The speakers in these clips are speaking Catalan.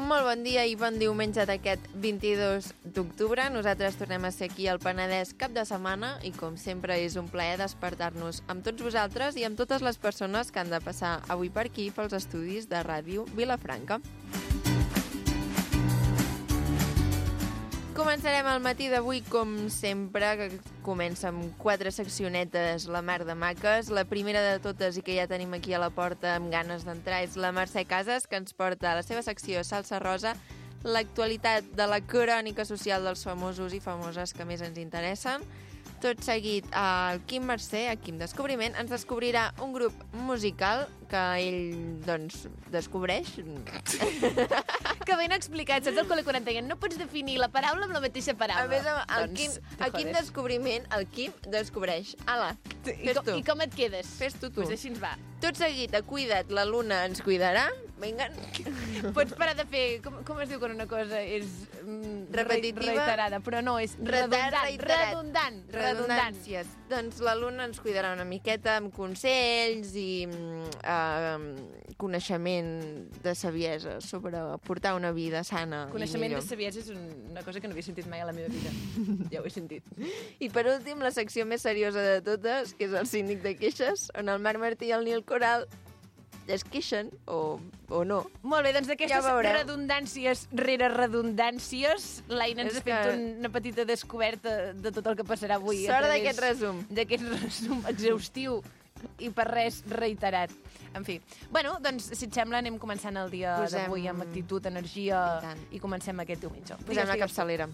Molt bon dia i bon diumenge d'aquest 22 d'octubre. Nosaltres tornem a ser aquí al Penedès cap de setmana i, com sempre, és un plaer despertar-nos amb tots vosaltres i amb totes les persones que han de passar avui per aquí pels estudis de Ràdio Vilafranca. Començarem el matí d'avui, com sempre, que comença amb 4 seccionetes la mar de maques. La primera de totes, i que ja tenim aquí a la porta amb ganes d'entrar, és la Mercè Casas, que ens porta a la seva secció Salsa Rosa l'actualitat de la crònica social dels famosos i famoses que més ens interessen. Tot seguit, el Quim Mercè, el Quim Descobriment, ens descobrirà un grup musical que ell, doncs, descobreix. Que ben explicat, saps el col·le quan et deien no pots definir la paraula amb la mateixa paraula. A més, el Quim Descobriment, el Quim descobreix. Ala, fes tu. I com et quedes? Fes tu. Pues així ens va. Tot seguit, a Cuida't, la Luna ens cuidarà. Vinga. Pots parar de fer... Com es diu quan una cosa és... repetitiva? Reiterada, però no, és redundant. Redundàncies. Doncs la Luna ens cuidarà una miqueta amb consells i coneixement de saviesa sobre portar una vida sana i millor. Coneixement de saviesa és una cosa que no havia sentit mai a la meva vida. Ja ho he sentit. I per últim, la secció més seriosa de totes, que és el síndic de queixes, on el Marc Martí i el Nil Coral es queixen o no. Molt bé, doncs d'aquestes Ja redundàncies rere redundàncies, l'Aina ens ha fet que... una petita descoberta de tot el que passarà avui. Sort d'aquest resum. D'aquest resum exhaustiu i per res reiterat. En fi. Bueno, doncs, si et sembla, anem començant el dia d'avui amb actitud, energia i comencem aquest diumenge. Posem la capçalera.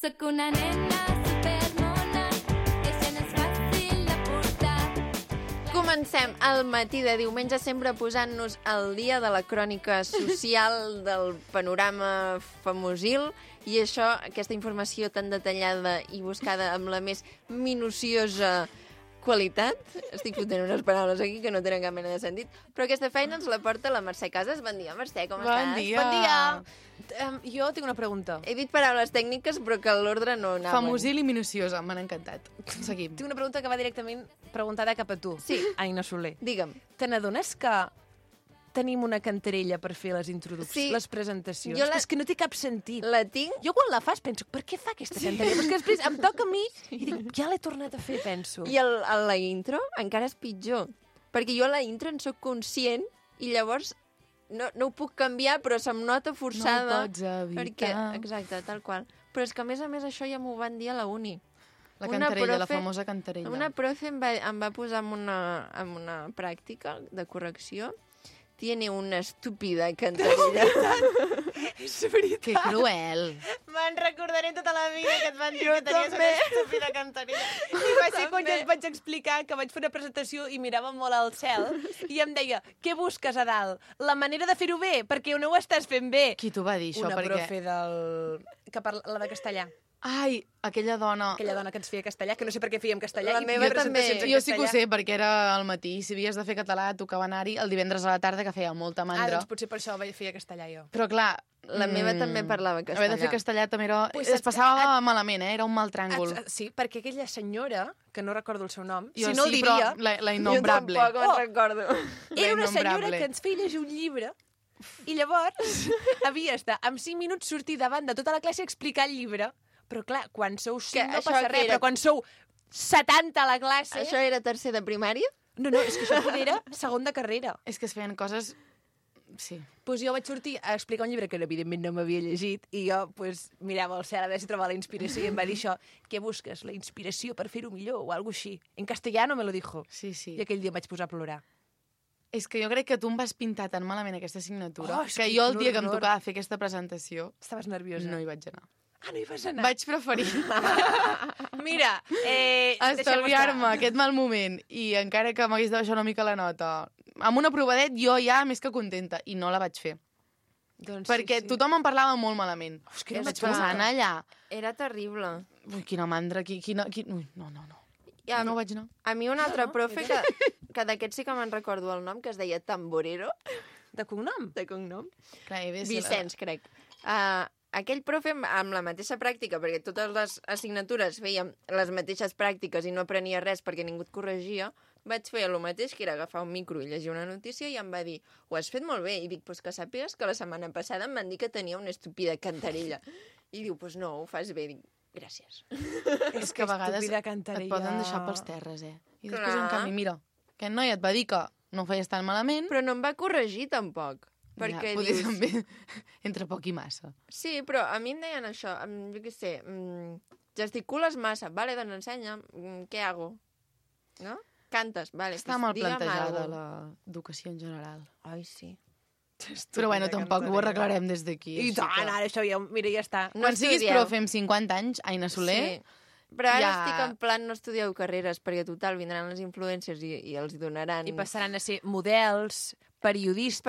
Soc una nena supermona que se n'és fàcil de portar. Comencem el matí de diumenge sempre posant-nos al dia de la crònica social del panorama famosil i això, aquesta informació tan detallada i buscada amb la més minuciosa qualitat. Estic fotent unes paraules aquí que no tenen cap mena de sentit, però aquesta feina ens la porta la Mercè Casas. Bon dia, Mercè, com estàs? Bon dia. Jo tinc una pregunta. He dit paraules tècniques, però que l'ordre no anaven. Famosil i minuciosa, m'han encantat. Seguim. Tinc una pregunta que va directament preguntada cap a tu. Sí. Aina Soler. Digue'm. Te n'adones que tenim una cantarella per fer les introduccions, Sí. les presentacions? Jo És que no té cap sentit. La tinc? Jo quan la fas penso, per què fa aquesta cantarella? Perquè després em toca a mi i dic, ja l'he tornat a fer, penso. I la intro encara és pitjor, perquè jo a la intro en sóc conscient i llavors no ho puc canviar, però se'm nota forçada. No ho pots evitar. Perquè, exacte, tal qual. Però és que, a més, això ja m'ho van dir a la uni. La cantarella, la famosa cantarella. Una profe em va posar en una pràctica de correcció. Tiene una estúpida cantarella. És veritat. Que cruel. Me'n recordaré tota la vida que et van dir Jo que tenies també. una estúpida cantarella. I va ser quan jo et vaig explicar que vaig fer una presentació i mirava molt al cel i em deia, què busques a dalt? La manera de fer-ho bé, perquè no ho estàs fent bé. Qui t'ho va dir, això? Una Perquè... profe la de castellà. Ai, aquella dona... Aquella dona que ens feia castellà, que no sé per què fèiem castellà. La i meva també. presentacions en Jo sí que ho castellà. sé, perquè era al matí. Si havies de fer català, tocava anar-hi el divendres a la tarda, que feia molta mandra. Doncs potser per això feia castellà jo. Però clar... La meva també parlava castellà. Haver de fer castellà també era... Pues es passava malament, era un mal tràngol. Sí, perquè aquella senyora, que no recordo el seu nom, Jo si no sí, el diria... però la innombrable. Jo tampoc me'n recordo. Era una senyora innombrable. que ens feia llegir un llibre i llavors havies de, en 5 minuts, sortir davant de tota la classe a explicar el llibre. Però clar, quan sou 5 no això passa que res, era- però quan sou 70 a la classe... Això era tercer de primària? No, és que això poder era segon de carrera. És que es feien coses... Sí. Doncs jo vaig sortir a explicar un llibre que evidentment no m'havia llegit i jo mirava al cel a veure si trobava la inspiració i em va dir això, què busques? La inspiració per fer-ho millor o alguna així. En castellano me lo dijo. Sí, sí. I aquell dia em vaig posar a plorar. És que jo crec que tu em vas pintar tan malament aquesta assignatura És que que jo el dia que em horror. tocava fer aquesta presentació Estaves nerviosa? no hi vaig anar. Ah, no hi vas anar? Vaig preferir Mira, estalviar-me aquest mal moment i encara que m'hagués de baixar una mica la nota, amb un aprovadet jo ja més que contenta i no la vaig fer. Doncs perquè tothom en parlava molt malament. que no Vaig m'atrapa. pensar, anar allà... Era terrible. Ui, quina mandra, Ui, no. I a, No vaig anar. a mi un altre profe que d'aquest sí que me'n recordo el nom, que es deia Tamborero, De cognom? de cognom. Clar, Vicenç, crec. Aquell profe, amb la mateixa pràctica, perquè totes les assignatures fèiem les mateixes pràctiques i no aprenia res perquè ningú et corregia, vaig fer el mateix, que era agafar un micro i llegir una notícia, i em va dir, ho has fet molt bé. I dic, pues que sàpigues que la setmana passada em van dir que tenia una estúpida cantarella. I diu, pues no, ho fas bé. Dic, gràcies. És que a vegades estúpida et cantarella. poden deixar pels terres, I després, Clar. en canvi, mira, aquest noi et va dir que no ho feies tan malament, Però no em va corregir, tampoc. Perquè ja, potser dius... també entre poc i massa. Sí, però a mi em deien això, jo què sé, gesticules massa, vale, doncs ensenya, què hago? No? Cantes, vale, Està pues mal digue'm plantejada algo. l'educació en general. Ai, sí. Però bueno, tampoc ho arreglarem des d'aquí. I així tant, que- ara això ja... Mira, ja està. No Quan siguis estudieu. profe amb 50 anys, Aina Soler, Sí. Però ara ja- estic en plan no estudieu carreres, perquè total vindran les influències i els donaran... I passaran a ser models, periodistes...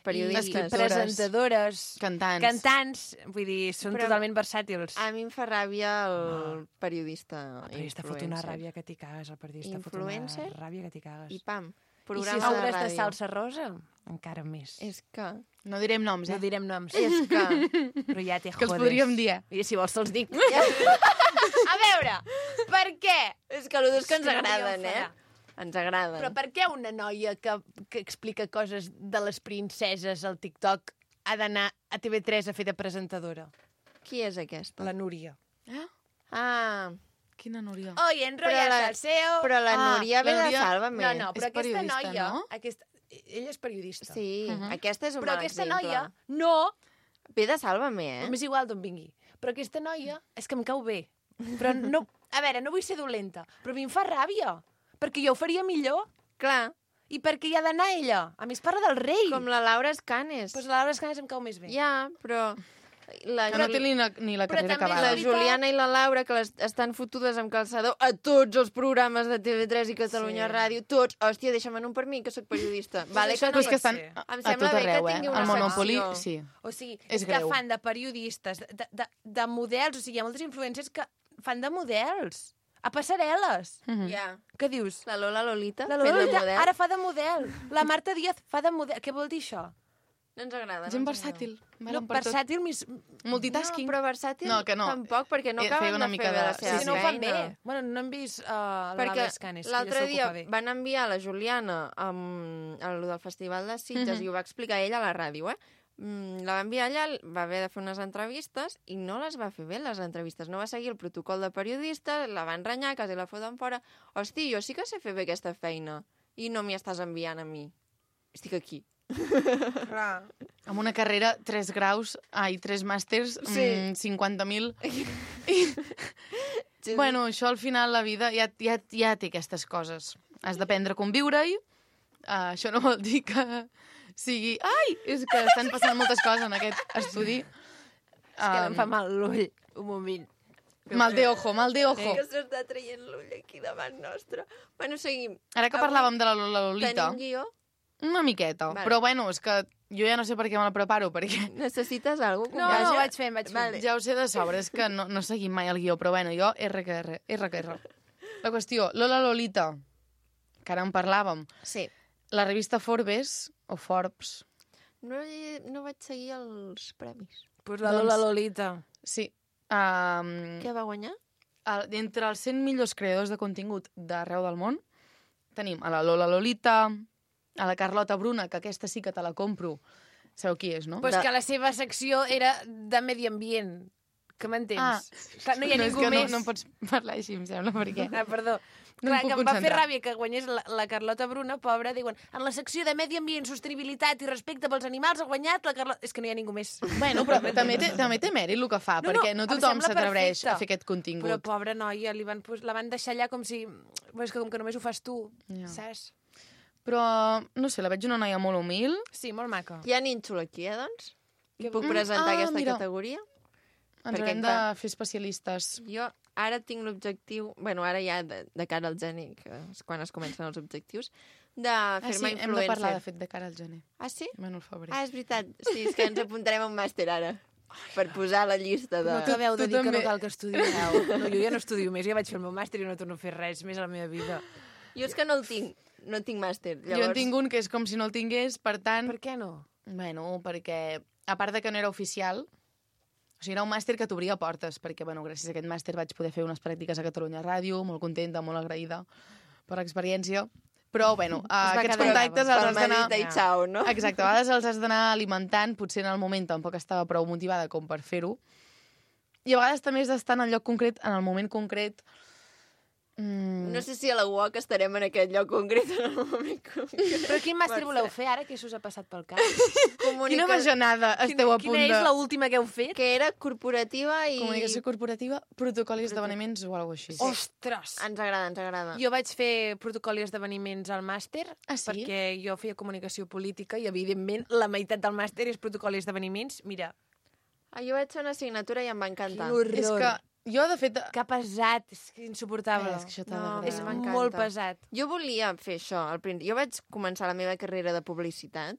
Periodistes. i presentadores... cantants. Cantants, vull dir, són Però- totalment versàtils. A mi em fa ràbia el periodista. El periodista fot una ràbia que t'hi cagues, el periodista fot Influencer? una ràbia que t'hi cagues. I pam, I si programa de hauràs de ràdio. salsa rosa, encara més. És que... No direm noms, No direm noms. És que... Però ja te que els jodes. podríem dir. I si vols te'ls dic. A veure, per què? És que els dos que ens És que no agraden, podíem Ens agraden. Però per què una noia que explica coses de les princeses al TikTok ha d'anar a TV3 a fer de presentadora? Qui és aquesta? La Núria. Ah, Quina Núria. Hoy en Royal la- Salseo... però la Ah, Núria ve la de Núria- Sálvame. No, no, És però aquesta periodista, noia... no? Ella és periodista. Sí, aquesta és un Però mal aquesta exemple. noia no... Ve de Sálvame, M'és igual d'on vingui. Però aquesta noia és que em cau bé. Però no... A veure, no vull ser dolenta, però a mi em fa ràbia. Perquè jo ho faria millor. Clar, I perquè hi ha d'anar ella. A mi es parla del rei. com la Laura Escanes. Pues la Laura Escanes em cau més bé. Ja, però... La, Que no té ni la Però carrera també acabada. la veritat- Juliana i la Laura, que estan fotudes amb calçador a tots els programes de TV3 i Catalunya Sí. Ràdio, tots. Hòstia, deixa'm en un per mi, que sóc periodista. Vale, això que Però no és que pot estan ser. a Em tot sembla bé que arreu, tingui El una Monopoly, secció. sí. O sigui, És és que greu. fan de periodistes, de models, o sigui, hi ha moltes influències que fan de models, a passarel·les. Mhm. Ja. Què dius? La Lola Lolita, La fent de Lolita model. ara fa de model. La Marta Díaz fa de model. Què vol dir això? No ens agrada. Gent no ens versàtil. No, Valen per tot. versàtil, Multitasking. No, però versàtil No, que no. tampoc, perquè no Feia acaben una de mica fer bé de- la sí, seva sí, no ho fan feina. bé. Bueno, no hem vist la Perquè Laura Escanes, que ella l'altre se'l dia ocupa bé. van enviar la Juliana a lo del Festival de Sitges i ho va explicar ella a la ràdio, La va enviar allà, va haver de fer unes entrevistes i no les va fer bé, les entrevistes. No va seguir el protocol de periodista, la van renyar, quasi la foten fora. Hosti, jo sí que sé fer bé aquesta feina i no m'hi estàs enviant a mi. Estic aquí. Clar. Amb una carrera, 3 graus, 3 màsters, Sí. 50.000... Bueno, això al final la vida ja té aquestes coses. Has d'aprendre a conviure-hi. Això no vol dir que sigui... Ai, és que estan passant moltes coses en aquest estudi. És que em fa mal l'ull. Un moment. Mal de ojo, mal de ojo. Que s'està traient l'ull aquí davant nostre. Bueno, seguim. Ara que parlàvem de la Lolita, Tenim guió? una miqueta. Vale. Però bueno, és que jo ja no sé per què me la preparo, perquè Necessites alguna cosa? No, Vaja. vaig fent, vaig fent. Vale. ja ho sé de sobre, és que no seguim mai el guió, però bueno, jo RQR. La qüestió, Lola Lolita, que ara en parlàvem, Sí. la revista Forbes, o Forbes, No vaig seguir els premis. Pues la Doncs- Lola Lolita. sí, Què va guanyar? entre els 100 millors creadors de contingut d'arreu del món, tenim a la Lola Lolita, a la Carlota Bruna, que aquesta sí que te la compro. Sabeu qui és, no? Pues que la seva secció era de medi ambient. Que m'entens? Clar, no hi ha és ningú que més. no pots parlar així, em sembla, perquè... Perdó. No em Clar, puc que em va fer concentrar. ràbia que guanyés la Carlota Bruna, pobra, diuen, en la secció de medi ambient, sostenibilitat i respecte pels animals ha guanyat la Carlota... És que no hi ha ningú més. Bueno, però també té mèrit el que fa, perquè no em tothom sembla s'atreveix perfecte. a fer aquest contingut. Però pobra noia, la van deixar allà com si... És que com que només ho fas tu, Ja. saps? Però, no sé, la veig una noia molt humil. Sí, molt maca. Hi ha nínxol aquí, doncs? Que- Puc presentar aquesta mira. categoria? Ens Perquè haurem de clar. fer especialistes. Jo ara tinc l'objectiu... Bueno, ara ja de cara al gener, que és quan es comencen els objectius, de fer-me hem de parlar, de influencer. fet, de cara al gener. Ah, sí? Bueno, al febrer. Ah, és veritat. Sí, és que ens apuntarem a un màster ara. Per posar a la llista de... No t'acabeu de tu dir que no també. cal que estudieu. No, jo ja no estudio més, ja vaig fer el meu màster i no torno a fer res més a la meva vida. Jo és que no el tinc. No tinc màster. Jo en tinc un que és com si no el tingués, per tant... Per què no? Bueno, perquè, a part de que no era oficial, o sigui, era un màster que t'obria portes, perquè, bueno, gràcies a aquest màster vaig poder fer unes pràctiques a Catalunya Ràdio, molt contenta, molt agraïda per l'experiència. Però, bueno, aquests quedar contactes els has d'anar... Palmadita i xau, no? Exacte, a vegades els has d'anar alimentant, potser en el moment tampoc estava prou motivada com per fer-ho, i a vegades també has d'estar en el lloc concret, en el moment concret. No sé si a la UOC estarem en aquest lloc concret en el moment concret. Però quin màster voleu fer ara? Què s'us ha passat pel cap? Quina bajanada esteu a punt Quina és de... l'última que heu fet? Que era corporativa i... Comunicació corporativa, protocol i esdeveniments o alguna cosa així. Ostres! Ens agrada, ens agrada. Jo vaig fer protocol i esdeveniments al màster, Ah, sí? perquè jo feia comunicació política i, evidentment, la meitat del màster és protocol i esdeveniments. Mira, Jo vaig fer una assignatura i em va encantar. quin horror. És que jo, de fet... Que pesat, és que insuportable. És que això t'ha No, d'agradar. és m'encanta. molt pesat. Jo volia fer això. Jo vaig començar la meva carrera de publicitat,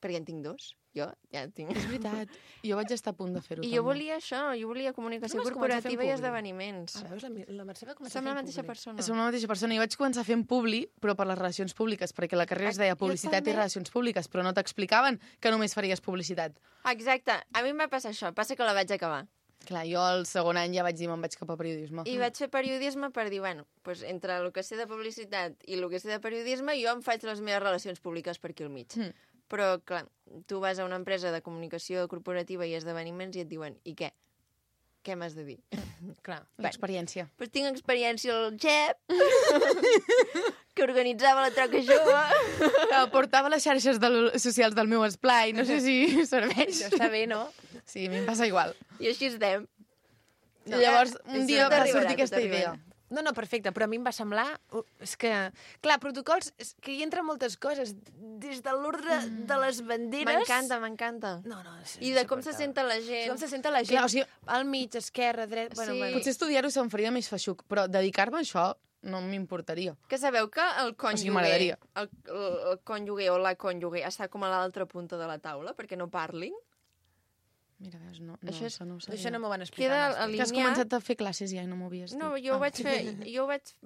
perquè en tinc dos. Jo ja en tinc. És veritat. Jo vaig estar a punt de fer-ho. I jo volia això, jo volia comunicació Tu vas començar corporativa fent i publi? esdeveniments. Ah, veus, la Mercè va començar Som la fent mateixa publi. persona. Som la mateixa persona. Jo vaig començar fent publi, però per les relacions públiques, perquè la carrera es deia Jo publicitat i també. relacions públiques, però no t'explicaven que només faries publicitat. Exacte. A mi em va passar això. Passa que la vaig acabar. Clar, jo al segon any ja vaig dir me'n vaig cap a periodisme. I vaig fer periodisme per dir, bueno, doncs entre el que sé de publicitat i el que sé de periodisme, jo em faig les meves relacions públiques per aquí al mig. Però, clar, tu vas a una empresa de comunicació corporativa i esdeveniments i et diuen, i què? Què m'has de dir? Clar. L'experiència. Doncs tinc experiència al GEP, que organitzava la troca jove. Portava les xarxes socials del meu esplai, no sé si serveix. Això està bé, no? Sí, a mi em passa igual. I així estem. I llavors, un dia tot va arribarà, sortir tot aquesta arribarà. idea. No, perfecte, però a mi em va semblar... És que, clar, protocols, és que hi entren moltes coses, des de l'ordre de les banderes... M'encanta, m'encanta. No, és I de com se senta la gent. Com se senta la gent, Clar, o sigui- al mig, esquerra, dret... Sí. Potser estudiar-ho se'm faria més feixuc, però dedicar-me a això no m'importaria. Que sabeu que el cònyuge, m'agradaria. el cònyuge o la cònyuge està com a l'altra punta de la taula perquè no parlin? Mira, veus, no, Això és- això no ho sabia. Això no m'ho van explicar. Queda al màster. Que has alineat. començat a fer classes ja i no m'ho havies dit. No, jo ho vaig fer,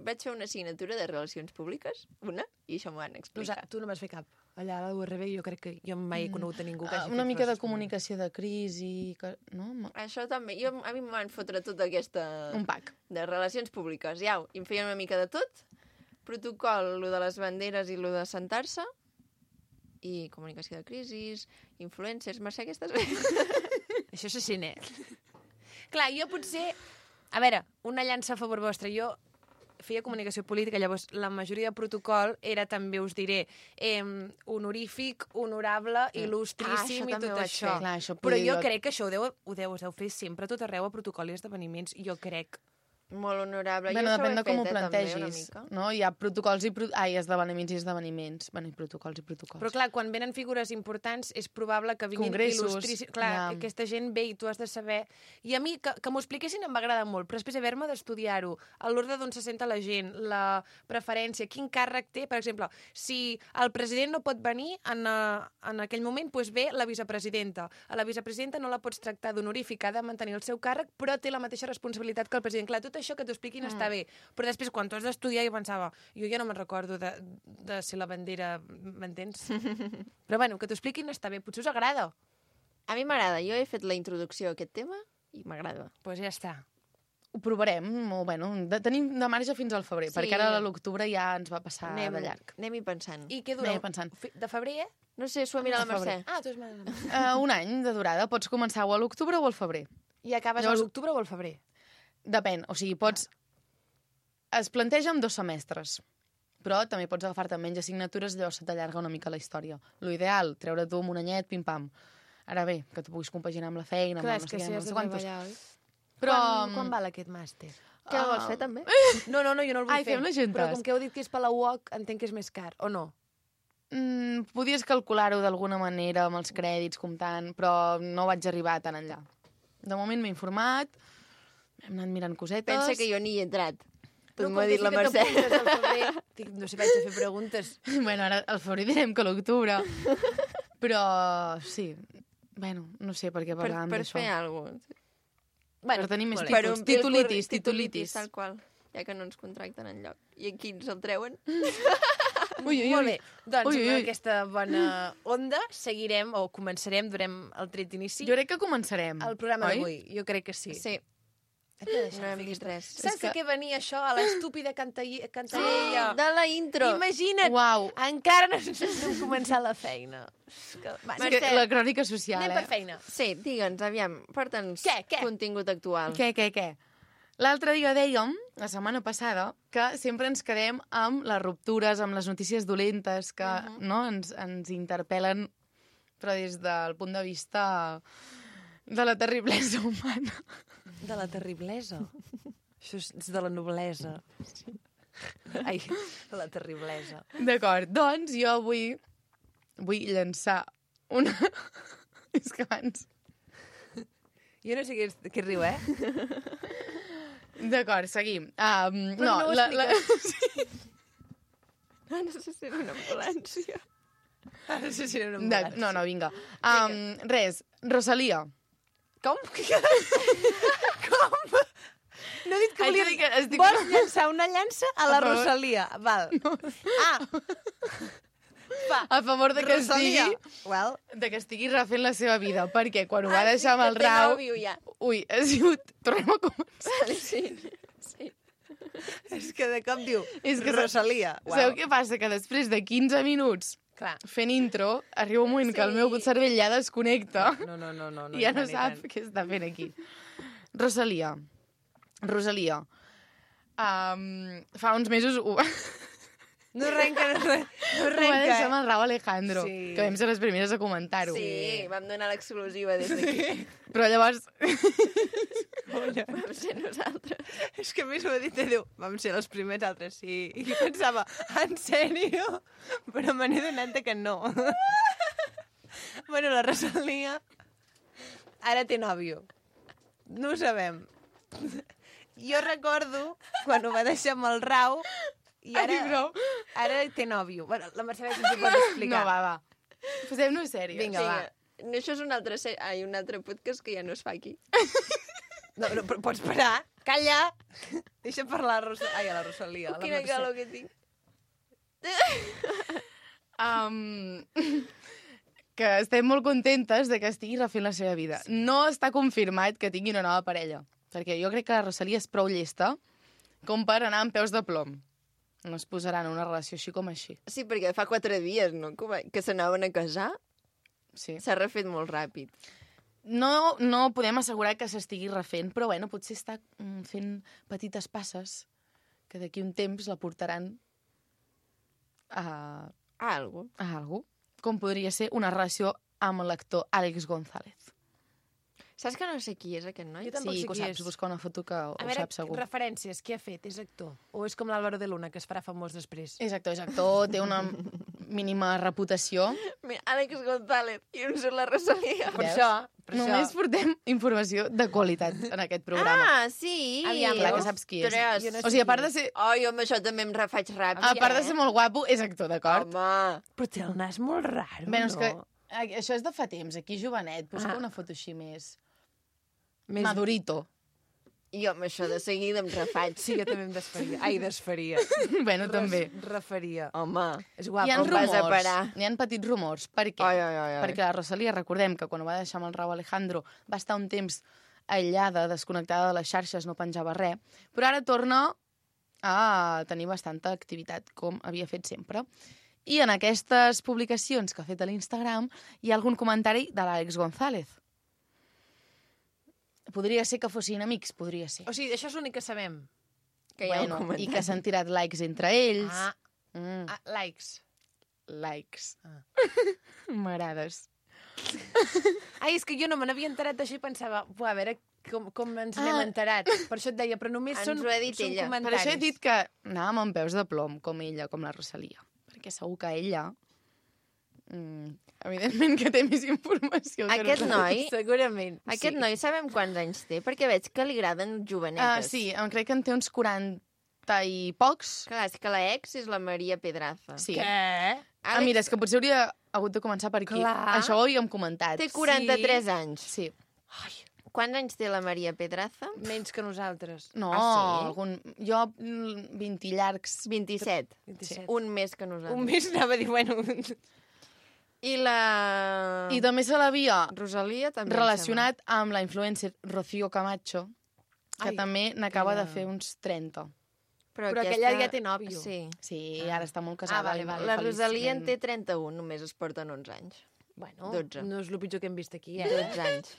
vaig fer una assignatura de relacions públiques, una, i això m'ho van explicar. Tu no vas fer cap. Allà a la URB jo crec que jo mai he conegut a ningú que hagi Una fet mica de coses. comunicació de crisi... Que... No? Això també. A mi em van fotre tota aquesta... Un pack. De relacions públiques. Ja, i em feien una mica de tot. Protocol, lo de les banderes i lo de sentar-se. I comunicació de crisis, influencers... Mercè, que estàs bé? Això se sent, Clar, jo potser... A veure, una llança a favor vostre. Jo feia comunicació política, llavors la majoria de protocol era també, us diré, honorífic, honorable, il·lustríssim això i també tot ho vaig això. fer. Clar, això Però podia jo crec que això ho deu fer sempre a tot arreu a protocol i esdeveniments. Jo crec. Molt honorable. Bueno, jo això depèn ho de he com ho fet, també, una plantegis. mica. No? Hi ha protocols i esdeveniments i esdeveniments. Bueno, i protocols i protocols. Però clar, quan venen figures importants és probable que vinguin Congressos, il·lustríssims. Clar, ja. aquesta gent ve i tu has de saber... I a mi, que m'ho expliquessin em va agradar molt, però després haver-me d'estudiar-ho, a l'ordre d'on se senta la gent, la preferència, quin càrrec té. Per exemple, si el president no pot venir en aquell moment, doncs ve la vicepresidenta. A la vicepresidenta no la pots tractar d'honorífica, ha de mantenir el seu càrrec, però té la mateixa responsabilitat que el president. Clar, tot això que t'ho expliquin està bé. Però després, quan tu has d'estudiar, jo pensava, jo ja no me'n recordo de ser la bandera, m'entens? Però bueno, que t'ho expliquin està bé, potser us agrada. A mi m'agrada. Jo he fet la introducció a aquest tema i m'agrada. Doncs pues ja està. Ho provarem. Bueno, tenim de marge fins al febrer, Sí. perquè ara a l'octubre ja ens va passar de llarg. Anem-hi pensant. I què dureu? Anem pensant. De febrer, No sé, s'ho ha mirat la De febrer. Mercè. Ah, tu és... Un any de durada. Pots començar o a l'octubre o al febrer. I acabes Llavors- a l'octubre o al febrer? Depèn. O sigui, pots... Es planteja en 2 semestres, però també pots agafar-te menys assignatures, llavors se t'allarga una mica la història. Lo ideal, treure tu amb un anyet, pim-pam. Ara bé, que tu puguis compaginar amb la feina, Clar, amb és no que sé si què, has no de sé quantos. treballar, oi? Però... Quan val aquest màster? Què el vols fer, també? No, jo no el vull Ai, fer. fem-ne juntes. Però com que heu dit que és per la UOC, entenc que és més car, o no? Podies calcular-ho d'alguna manera amb els crèdits, comptant, però no vaig arribar tan enllà. De moment m'he informat, hem anat mirant cosetes... Pensa que jo ni hi he entrat. Doncs com m'ho ha que dit sí la que Mercè. t'apuntes al febrer, dic, no sé, vaig a fer preguntes. Bueno, ara al febrer direm que l'octubre. Però sí, bueno, no sé per què Per parlàvem d'això. fer alguna cosa. Per tenir més molt bé. títols. Titulitis. Tal qual. Ja que no ens contracten enlloc. I aquí ens el treuen. Ui, ui, Molt ui. bé, doncs Ui, ui, ui. amb aquesta bona onda seguirem o començarem, durem el tret d'inici Jo crec que començarem. el programa oi? d'avui. Jo crec que sí. Sí, Hem de deixar no hem fer dit aquesta- res. Saps de què venia això? A l'estúpida cantarella. De la intro. Imagina't, Uau. encara no hem començat la feina. És que, va, És que la crònica social, anem per feina. Sí, digue'ns, aviam, porta'ns Què? contingut actual. Què? L'altre dia dèiem, la setmana passada, que sempre ens quedem amb les ruptures, amb les notícies dolentes que no, ens interpel·len, però des del punt de vista de la terriblesa humana. De la terriblesa. Això és de la noblesa. Ai, de la terriblesa. D'acord, doncs jo vull llançar una... És que abans... Jo no sé què riu, eh? D'acord, seguim. no ho Ah, no sé si era una ambulància. No sé si era una ambulància. No, vinga. Res, Rosalia. Com? Com? No he dit que Haig de volia... dir que estic- Vols llançar una llança a la A favor. Rosalia. Val. No. A favor de que Rosalia. estigui... Well, de que estigui refent la seva vida, perquè quan ho va deixar amb el té Rau... nòvio ja. Ui, ha sigut... Tornem a començar. Sí. és que de cop diu És que Rosalia. Sabeu què passa? Que després de 15 minuts Clar. fent intro, arriba un moment que el meu cervell ja desconnecta No. i ja no sap què està fent aquí. Rosalia. Fa uns mesos ho No arrenca, no va arrenca. deixar amb el Rau Alejandro, Sí. que vam ser les primeres a comentar-ho. Sí, vam donar l'exclusiva des d'aquí. Però llavors... Vam ser nosaltres. És que a més ho ha dit, diu, vam ser les primers altres, sí. I jo pensava, en sèrio? Però me n'he donat que no. Bueno, la Rosalia ara té nòvio. No ho sabem. Jo recordo quan ho va deixar amb el Rau i Ai, prou. ara té nòvio. Bueno, la Mercè ens ho pot explicar. No, va. Posem-nos sèries. Vinga, va. No, això és un altre podcast que ja no es fa aquí. No, però pots parar? Calla! Deixa parlar a la Rosalia. a la Quina Mercè. calor que tinc. Que estem molt contentes de que estigui refent la seva vida. No està confirmat que tingui una nova parella, perquè jo crec que la Rosalia és prou llesta com per anar amb peus de plom. No es posaran en una relació així com així. Sí, perquè fa 4 dies, no?, que s'anaven a casar. Sí. S'ha refet molt ràpid. No podem assegurar que s'estigui refent, però bueno, potser està fent petites passes que d'aquí un temps la portaran a Algo. algú, com podria ser una relació amb l'actor Àlex González. Saps que no sé qui és aquest noi? Jo tampoc Sí, sé que ho qui saps, és. busca una foto que ho A veure, saps segur. referències, què ha fet? És actor? O és com l'Álvaro de Luna, que es farà famós després? És actor, té una mínima reputació. Mira, Àlex González i un sol la Rosalia. Per Veus? això, per Només això. portem informació de qualitat en aquest programa. Ah, sí! Aviam, Clar que saps qui és. Ostres. Jo no O sigui, a part de ser, Oh, jo amb això també em refaig ràpid. a part de ser molt guapo, és actor, d'acord? Home, Però té el nas molt raro, Bé, és no? que això és de fa temps, aquí jovenet. Busca Ah. una foto així més... Més... Madurito. jo amb això de seguida em refaig. Sí, jo també em desfaria. Ai, desfaria. Bueno, també. Refaria. Home, És Hi guapo. ha on vas a rumors, parar? hi ha petits rumors. Per què? Ai. Perquè la Rosalia, recordem que quan ho va deixar amb el Rau Alejandro va estar un temps aïllada, desconnectada de les xarxes, no penjava res, però ara torna a tenir bastanta activitat, com havia fet sempre. I en aquestes publicacions que ha fet a l'Instagram hi ha algun comentari de l'Àlex González. Podria ser que fossin amics, podria ser. O sigui, això és l'únic que sabem. Que hi ha un I comentari. que s'han tirat likes entre ells. Likes. Likes. Ah. M'agrades. Ai, és que jo no me n'havia enterat d'això i pensava, a veure com ens n'hem Ah. enterat. Per això et deia, però només Ens són, ho ha dit són ella. Per comentaris. això he dit que anàvem amb peus de plom, com ella, com la Rosalia. Perquè segur que ella... evidentment que té més informació. que Aquest nosaltres. noi, Segurament. aquest noi sabem quants anys té? Perquè veig que li agraden jovenetes. Sí, crec que en té uns 40 i pocs. Clar, és que la ex és la Maria Pedraza. Sí. Què? Mira, és que potser hauria hagut de començar per aquí. Clar. Això ho havíem comentat. Té 43 anys. Sí. Ai, Quants anys té la Maria Pedraza? menys que nosaltres. No, sí? jo 20 llargs. 27. 27. Un més que nosaltres. Un mes anava a dir, bueno... I la... I també se l'havia Rosalia també. relacionat amb la influencer Rocío Camacho, que Ai, també n'acaba de aquella- fer uns 30. Però aquella ja té nòvio. Sí. Sí, ara està molt casada. vale, i vale. La feliç. Rosalia en té 31, només es porten 11 anys. Bueno, 12. no és el pitjor que hem vist aquí, 12 anys.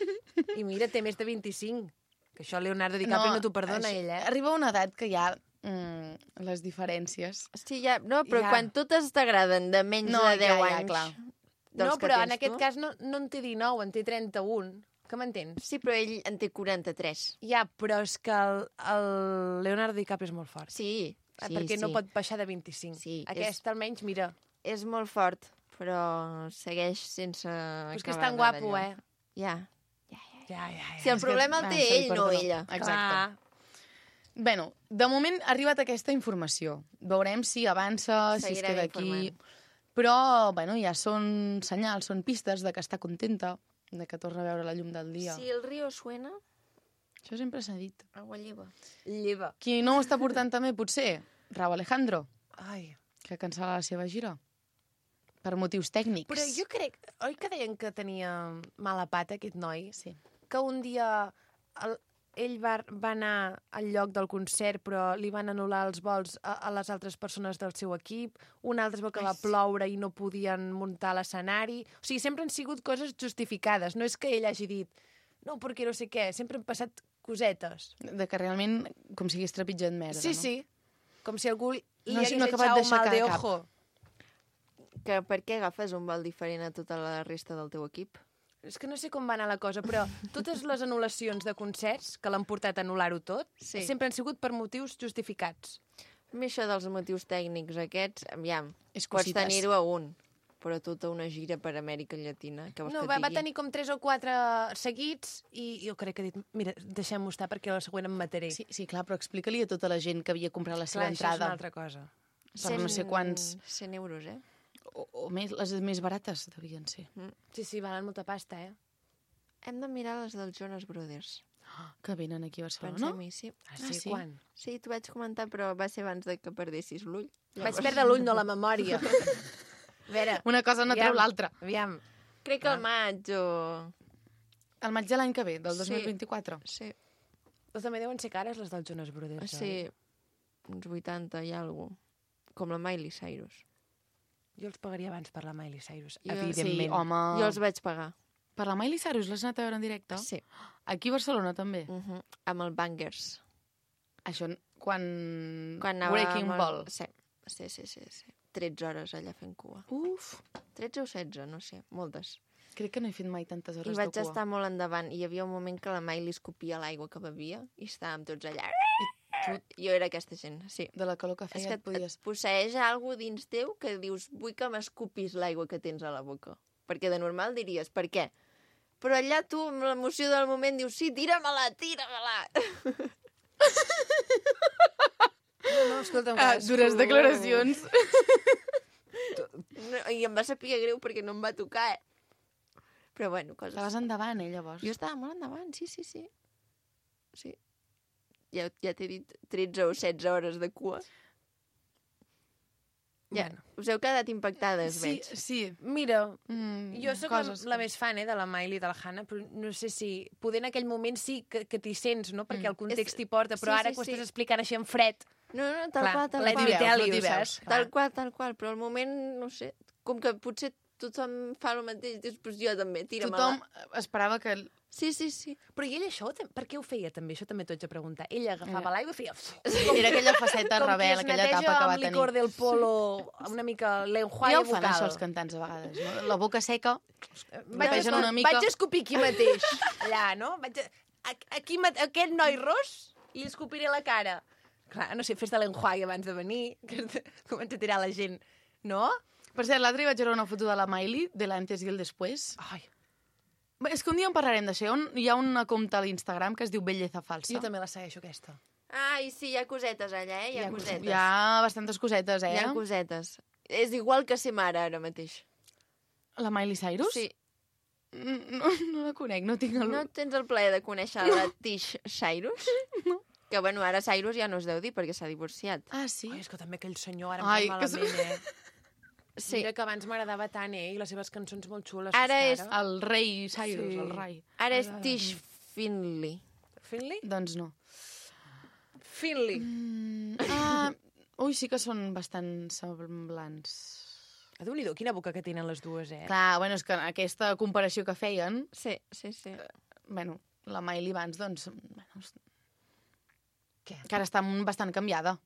I mira, té més de 25. Que això Leonardo DiCaprio no t'ho perdona, això- ell, Arriba una edat que ja les diferències... Sí, ja, no, però Ja. quan totes t'agraden de menys No, de 10 ja, anys... clar. dels No, que però tens en aquest tu. cas no en té 19, en té 31. Que m'entens? Sí, però ell en té 43. Ja, però és que el Leonardo DiCaprio és molt fort. Sí, sí, perquè sí. no pot baixar de 25. Sí, Aquest, almenys, mira. És molt fort, però segueix sense Però és que és acabar tan d'anar guapo, d'allò. Ja. Ja. Si el problema el té se li ell, no perdona. ella. Exacte. Bueno, de moment ha arribat aquesta informació. Veurem si avança, si es Seguirem queda aquí... informant. Però, bueno, ja són senyals, són pistes de que està contenta, de que torna a veure la llum del dia. Si el riu suena, Això sempre s'ha dit. agua lleva. Lleva. Qui no ho està portant també, potser, Rauw Alejandro, Ai. que cancel·la la seva gira. Per motius tècnics. Però jo crec... Oi que deien que tenia mala pata, aquest noi? Sí. Que un dia ell va anar al lloc del concert, però li van anul·lar els vols a les altres persones del seu equip. Un altre es veu que va ploure i no podien muntar l'escenari. O sigui, sempre han sigut coses justificades. No és que ell hagi dit no, perquè no sé què. Sempre han passat cosetes. De que realment, com si hagués trepitjat merda, Sí, no? sí. Com si algú li No, hagués si no ha acabat echado d'aixecar mal de cap. ojo. Que per què agafes un vol diferent a tota la resta del teu equip? És que no sé com va anar la cosa, però totes les anul·lacions de concerts que l'han portat a anul·lar-ho tot Sí. sempre han sigut per motius justificats. A mi això dels motius tècnics aquests, aviam, És pots cosites. tenir-ho a un, però tota una gira per Amèrica Llatina. Què vols No, que et va digui? tenir com 3 o 4 seguits i jo crec que ha dit, mira, deixem-ho estar perquè a la següent em mataré. Sí, sí, clar, però explica-li a tota la gent que havia comprat la seva Clar, això és una entrada. altra cosa. Per no sé quants... 100 euros, eh? O més, les més barates devien ser. Sí, sí, valen molta pasta, eh? Hem de mirar les dels Jonas Brothers. Que venen aquí a Barcelona. Pensem-hi, sí. Ah, sí? sí? Quan? Sí, t'ho vaig comentar, però va ser abans de que perdessis l'ull. Vaig perdre l'ull, no la memòria. A veure, Una cosa no treu l'altra. Aviam. Crec que al maig o... El maig de l'any que ve, del Sí. 2024. Sí, Però també deuen ser cares les dels Jonas Brothers, sí, uns 80 i alguna cosa. Com la Miley Cyrus. Jo els pagaria abans per la Miley Cyrus, Jo- evidentment. Sí, home... Jo els vaig pagar. Per la Miley Cyrus l'has anat a veure en directe? Sí. Aquí a Barcelona també? Amb el Bangers. Això, quan... Quan anava Breaking amb Ball. Sí. Sí. 13 hores allà fent cua. Uf, 13 o 16, no sé, moltes. crec que no he fet mai tantes I hores vaig de cua. estar molt endavant. I hi havia un moment que la Miley escopia l'aigua que bevia i estàvem tots allà. Jo era aquesta gent, sí. De la calor que És feia que et podies... et posseeix alguna dins teu que dius, vull que m'escopis l'aigua que tens a la boca. Perquè de normal diries, per què? Però allà tu, amb l'emoció del moment, dius, sí, tira-me-la, tira-me-la. No, escolta'm, Dures declaracions. No, I em va saber greu perquè no em va tocar, eh? Però bueno, coses... Estaves endavant, llavors. Jo estava molt endavant, sí. Sí. Ja t'he dit 13 o 16 hores de cua. Ja, Bueno. us heu quedat impactades, Sí, veig. sí. Mira, Mm, jo sóc coses la més fan de la Miley i de la Hannah, però no sé si... Poder en aquell moment sí que t'hi sents, no? Perquè el context t'hi porta, però sí, ara sí, que ho sí. estàs explicant així en fred... No, tal Clar, qual, tal let qual. me tell no you, t'hi veus. saps? Tal qual, però al moment, no sé, com que potser tothom fa el mateix, dius, pues jo també, tira-me-la. Tothom esperava que... Sí. Però i ell això, per què ho feia també? Això també t'ho haig de preguntar. Ell agafava l'aigua i feia... Era aquella faceta rebel, aquella etapa que va com qui es neteja amb licor tenir. del polo, una mica l'enjuague Ja ho fan, vocal. això, els cantants, a vegades. No? La boca seca, Vaig, Pegen una mica. vaig escopir aquí mateix, allà, no? Aquí, aquest noi ros, li escopiré la cara. Clar, no sé, fes de l'enjuague abans de venir, que comença a tirar la gent, no? Per cert, l'altre vaig veure una foto de la Miley, de l'antes i el després. Ai, És que un dia en parlarem d'això. Hi ha una compte a l'Instagram que es diu Belleza Falsa. jo també la segueixo, aquesta. Ai, sí, hi ha cosetes allà, Hi ha cosetes. Hi ha bastantes cosetes, Hi ha cosetes. És igual que ser mare ara mateix. La Miley Cyrus? Sí. No la conec, no tinc el... No tens el plaer de conèixer la Tish Cyrus? No. Que, bueno, ara Cyrus ja no es deu dir perquè s'ha divorciat. Ah, sí? Ai, és que també aquell senyor ara Ai, em que fa malament, Sí. Mira que abans m'agradava tant, i les seves cançons molt xules. Ara és és- que El rei Cyrus, Sí. el rei. Ara és Tish Finley. Finley? Doncs no. Finley. Ui, sí que són bastant semblants. Déu-n'hi-do, quina boca que tenen les dues, Clar, bueno, és que aquesta comparació que feien, Sí, sí, sí. bueno, la Miley abans, doncs, bueno, Què? que ara està bastant canviada.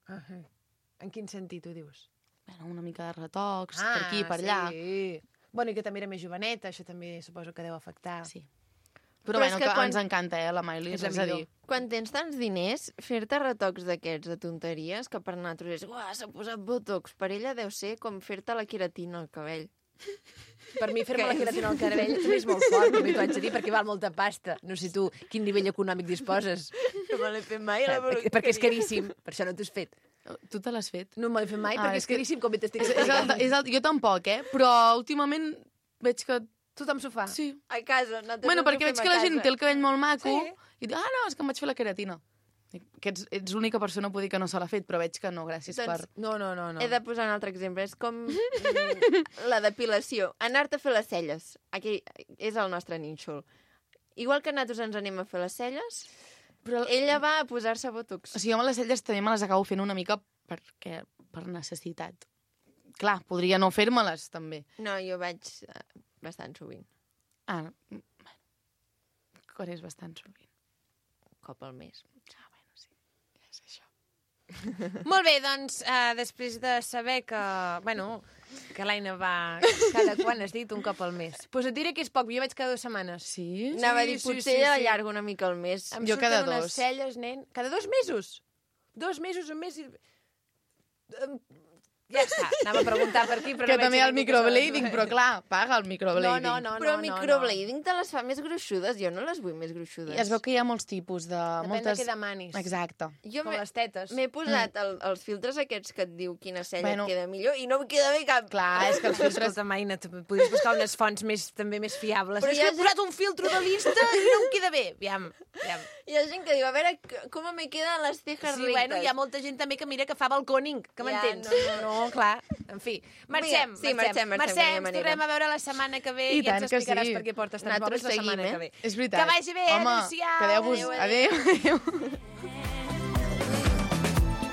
En quin sentit ho dius? Bueno, una mica de retocs, per aquí, per allà. Sí. Bueno, i que també era més joveneta, això també suposo que deu afectar. Sí. Però Però bueno, és que que quan- ens encanta, la Miley. És la És a millor. dir, Quan tens tants diners, fer-te retocs d'aquests de tonteries, que per nosaltres és, uah, s'ha posat botox, per ella deu ser com fer-te la queratina al cabell. Per mi fer-me la queratina al cabell també és molt fort, també t'ho haig de dir, perquè val molta pasta. No sé tu quin nivell econòmic disposes. No me l'he fet mai, Perquè és caríssim, per això no t'ho has fet. tu te l'has fet? No me l'he fet mai, Ah, perquè és és caríssim, com bé t'estic Jo tampoc, però últimament veig que... Tothom s'ho fa. Sí. A casa. Bueno, perquè veig que la gent té el cabell molt maco Sí. i diu, no, és que em vaig fer la queratina. Que ets l'única persona, puc dir que no se l'ha fet, però veig que no, gràcies Doncs- per... No. He de posar un altre exemple. És com la depilació. Anar-te a fer les celles. Aquí és el nostre nínxol. Igual que nosaltres ens anem a fer les celles, Però, ella va a posar-se botox. o sigui, jo amb les celles també me les acabo fent una mica per necessitat. Clar, podria no fer-me-les, també. No, jo vaig bastant sovint. Ah, bueno. Quan és bastant sovint. Cop al mes. Ah, bueno, sí. Ja és això. Molt bé, doncs, després de saber que, bueno, que l'Aina va cada quan has dit un cop al mes. Doncs et diré que és poc, jo vaig cada 2 setmanes. Sí? Anava a dir, sí, potser sí. allargo una mica el mes. Em Jo surten cada unes 2. celles, nen. Cada 2 mesos? 2 mesos, un mes i... Ja està, anava a preguntar per aquí, però Que no veig també hi ha el ningú que sabi. microblading, però clar, paga el microblading. No. Però el microblading te les fa més gruixudes. Jo no les vull més gruixudes. I es veu que hi ha molts tipus de... Depèn moltes... de què demanis. Exacte. Jo Com les tetes. m'he posat els filtres aquests que et diu quina cella Bueno. et queda millor i no em queda bé cap. Clar, és que els filtres... Escolta, Maina, podries buscar unes fonts també més fiables. Però Però és hi ha que he posat un filtro de l'Insta i no em queda bé. Aviam. Hi ha gent que diu, a veure, com me queden les cejas Sí, rectes. bueno, hi ha molta gent també que mira que fa balcòning, que Ja, m'entens? no. Clar. En fi, marxem. Sí, marxem, que no hi ha ens manera. tornem a veure la setmana que ve I i tant ens que explicaràs sí. per què portes tants Nosaltres mòbils la setmana seguim, que ve. És veritat. Que vagi bé, Home, adéu-siau. quedeu-vos... Adéu, Adéu.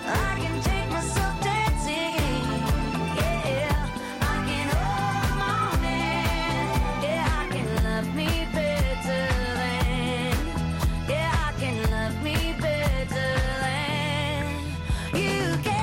I can take myself dancing. Yeah, I can hold my man. Yeah, I can love me better than. Yeah, I can love me better than you can.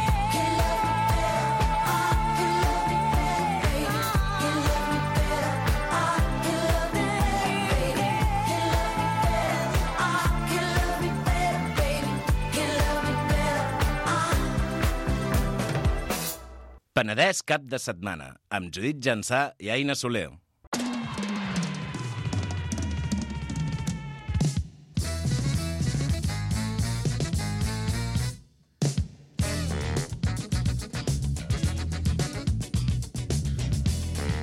Penedès cap de setmana, amb Judit Jansà i Aina Soler.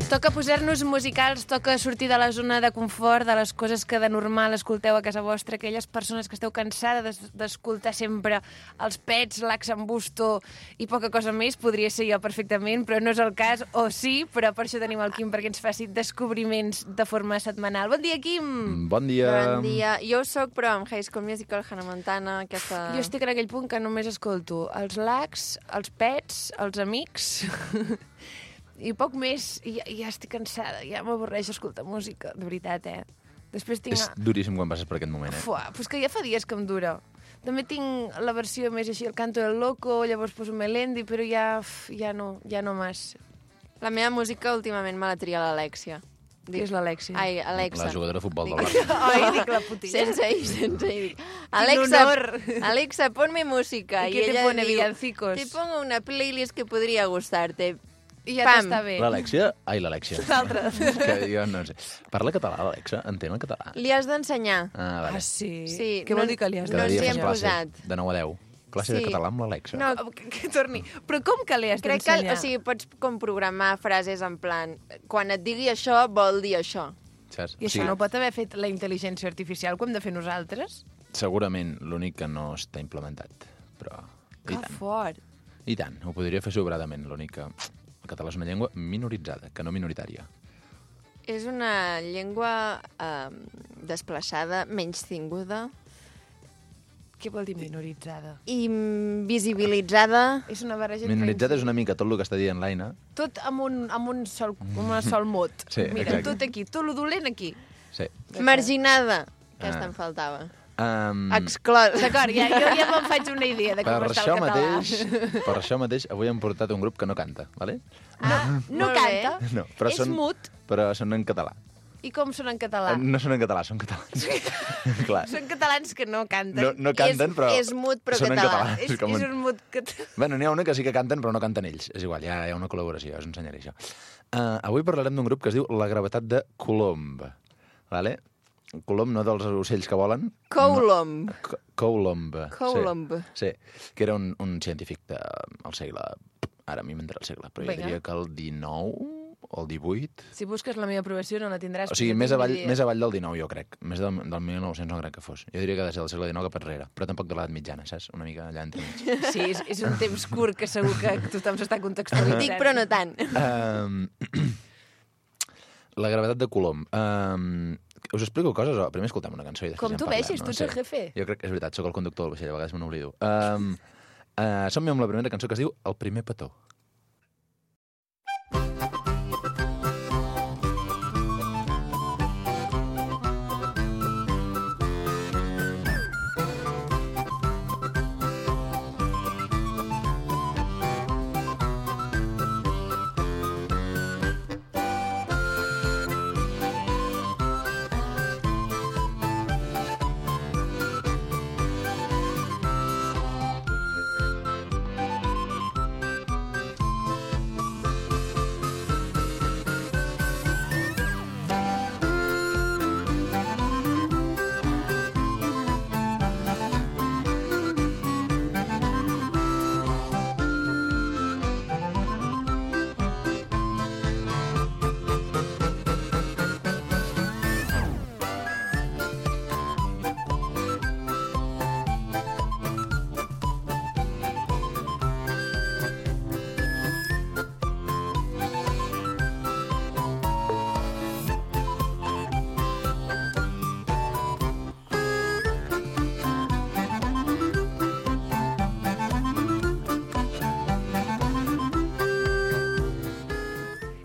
Toca posar-nos musicals, toca sortir de la zona de confort, de les coses que de normal escolteu a casa vostra, aquelles persones que esteu cansades d'escoltar sempre els Pets, l'Ax en Busto i poca cosa més, podria ser jo perfectament, però no és el cas, o sí, però per això tenim el Quim perquè ens faci descobriments de forma setmanal. Bon dia, Quim! Bon dia. Bon dia. Jo sóc, però amb High School Musical, Hannah Montana, aquesta... Jo estic en aquell punt que només escolto els Lacs, els Pets, els Amics... I poc més, i ja estic cansada, ja m'avorreix escoltar música, de veritat, Després tinc... És duríssim quan passes per aquest moment, Fuà, pues que ja fa dies que em dura. També tinc la versió més així, el Canto del Loco, llavors poso Melendi, però ja no més. La meva música últimament me la tria l'Alexia. Qui és l'Alexia? Ai, Alexa. La jugadora de futbol del Dic- Barça. Ai, dic la putilla. Sense ir. Alexa, honor. Alexa, ponme música. ¿Y qué te ella pone, diu, villancicos? Te pongo una playlist que podria gustarte. I ja Pam. t'està bé. L'Alexia? Ai, l'Alexia. L'altra. És que jo no sé. Parla català, l'Alexa? Entén el català? Li has d'ensenyar. Ah, vale. Ah, sí? Sí, Què vol dir que li has no Cada ens dia hi fas hem classe, posat. de 9 a 10. Classe de Sí. català amb l'Alexa. No, Que torni. Però com que li has crec que, d'ensenyar? o sigui, pots com programar frases en plan, quan et digui això, vol dir això. Saps? I això no ho pot haver fet la intel·ligència artificial, que ho hem de fer nosaltres? Segurament l'únic que no està implementat, però... I Que tant. fort. I tant, ho podria fer sobradament. L'únic que el català és una llengua minoritzada, que no minoritària. És una llengua desplaçada, menystinguda, Què vol dir minoritzada? invisibilitzada. És una barreja Minoritzada és una mica tot el que està dient l'Aina. Tot amb un sol mot. Sí, Mira, exacte. tot aquí, tot lo dolent aquí. Sí. Marginada. Aquesta Ah. em faltava. Exclosa. D'acord, jo ja me'n faig una idea de com Per està això, el català. per això mateix avui hem portat un grup que no canta, ¿vale? No Molt bé. canta, No, però és mut. Però són en català. I com són en català? No són en català, són catalans. Clar. Són catalans que no canten. No canten, però és mut, però són en català. català. És com un mut català. Bueno, n'hi ha una que sí que canten, però no canten ells. És igual, ja hi ha una col·laboració, us ensenyaré això. Avui parlarem d'un grup que es diu La Gravetat de Colomb. Vale? Colomb, no dels ocells que volen. Coulomb. No. Coulomb. Coulomb. Sí, que era un científic del segle... Ara m'hi inventaré el segle, però jo Vinga. diria que el 19 o el 18. Si busques la meva aprovació no la tindràs. O sigui, perquè més no tinc avall, ni idea. més avall del 19, jo crec. Més del 1900 no crec que fos. Jo diria que ha de ser del segle XIX cap enrere, però tampoc de l'edat mitjana, saps? Una mica allà entre mig. Sí, és un temps curt que segur que tothom s'està contextualitzant. Dic, però no tant. La gravetat de Colom. Us explico coses o primer escoltem una cançó i després Com ja en tu parlem, vegis, tu ets el jefe. Jo crec que és veritat, sóc el conductor del vaixell, a vegades me n'oblido. Som-hi amb la primera cançó que es diu El primer petó.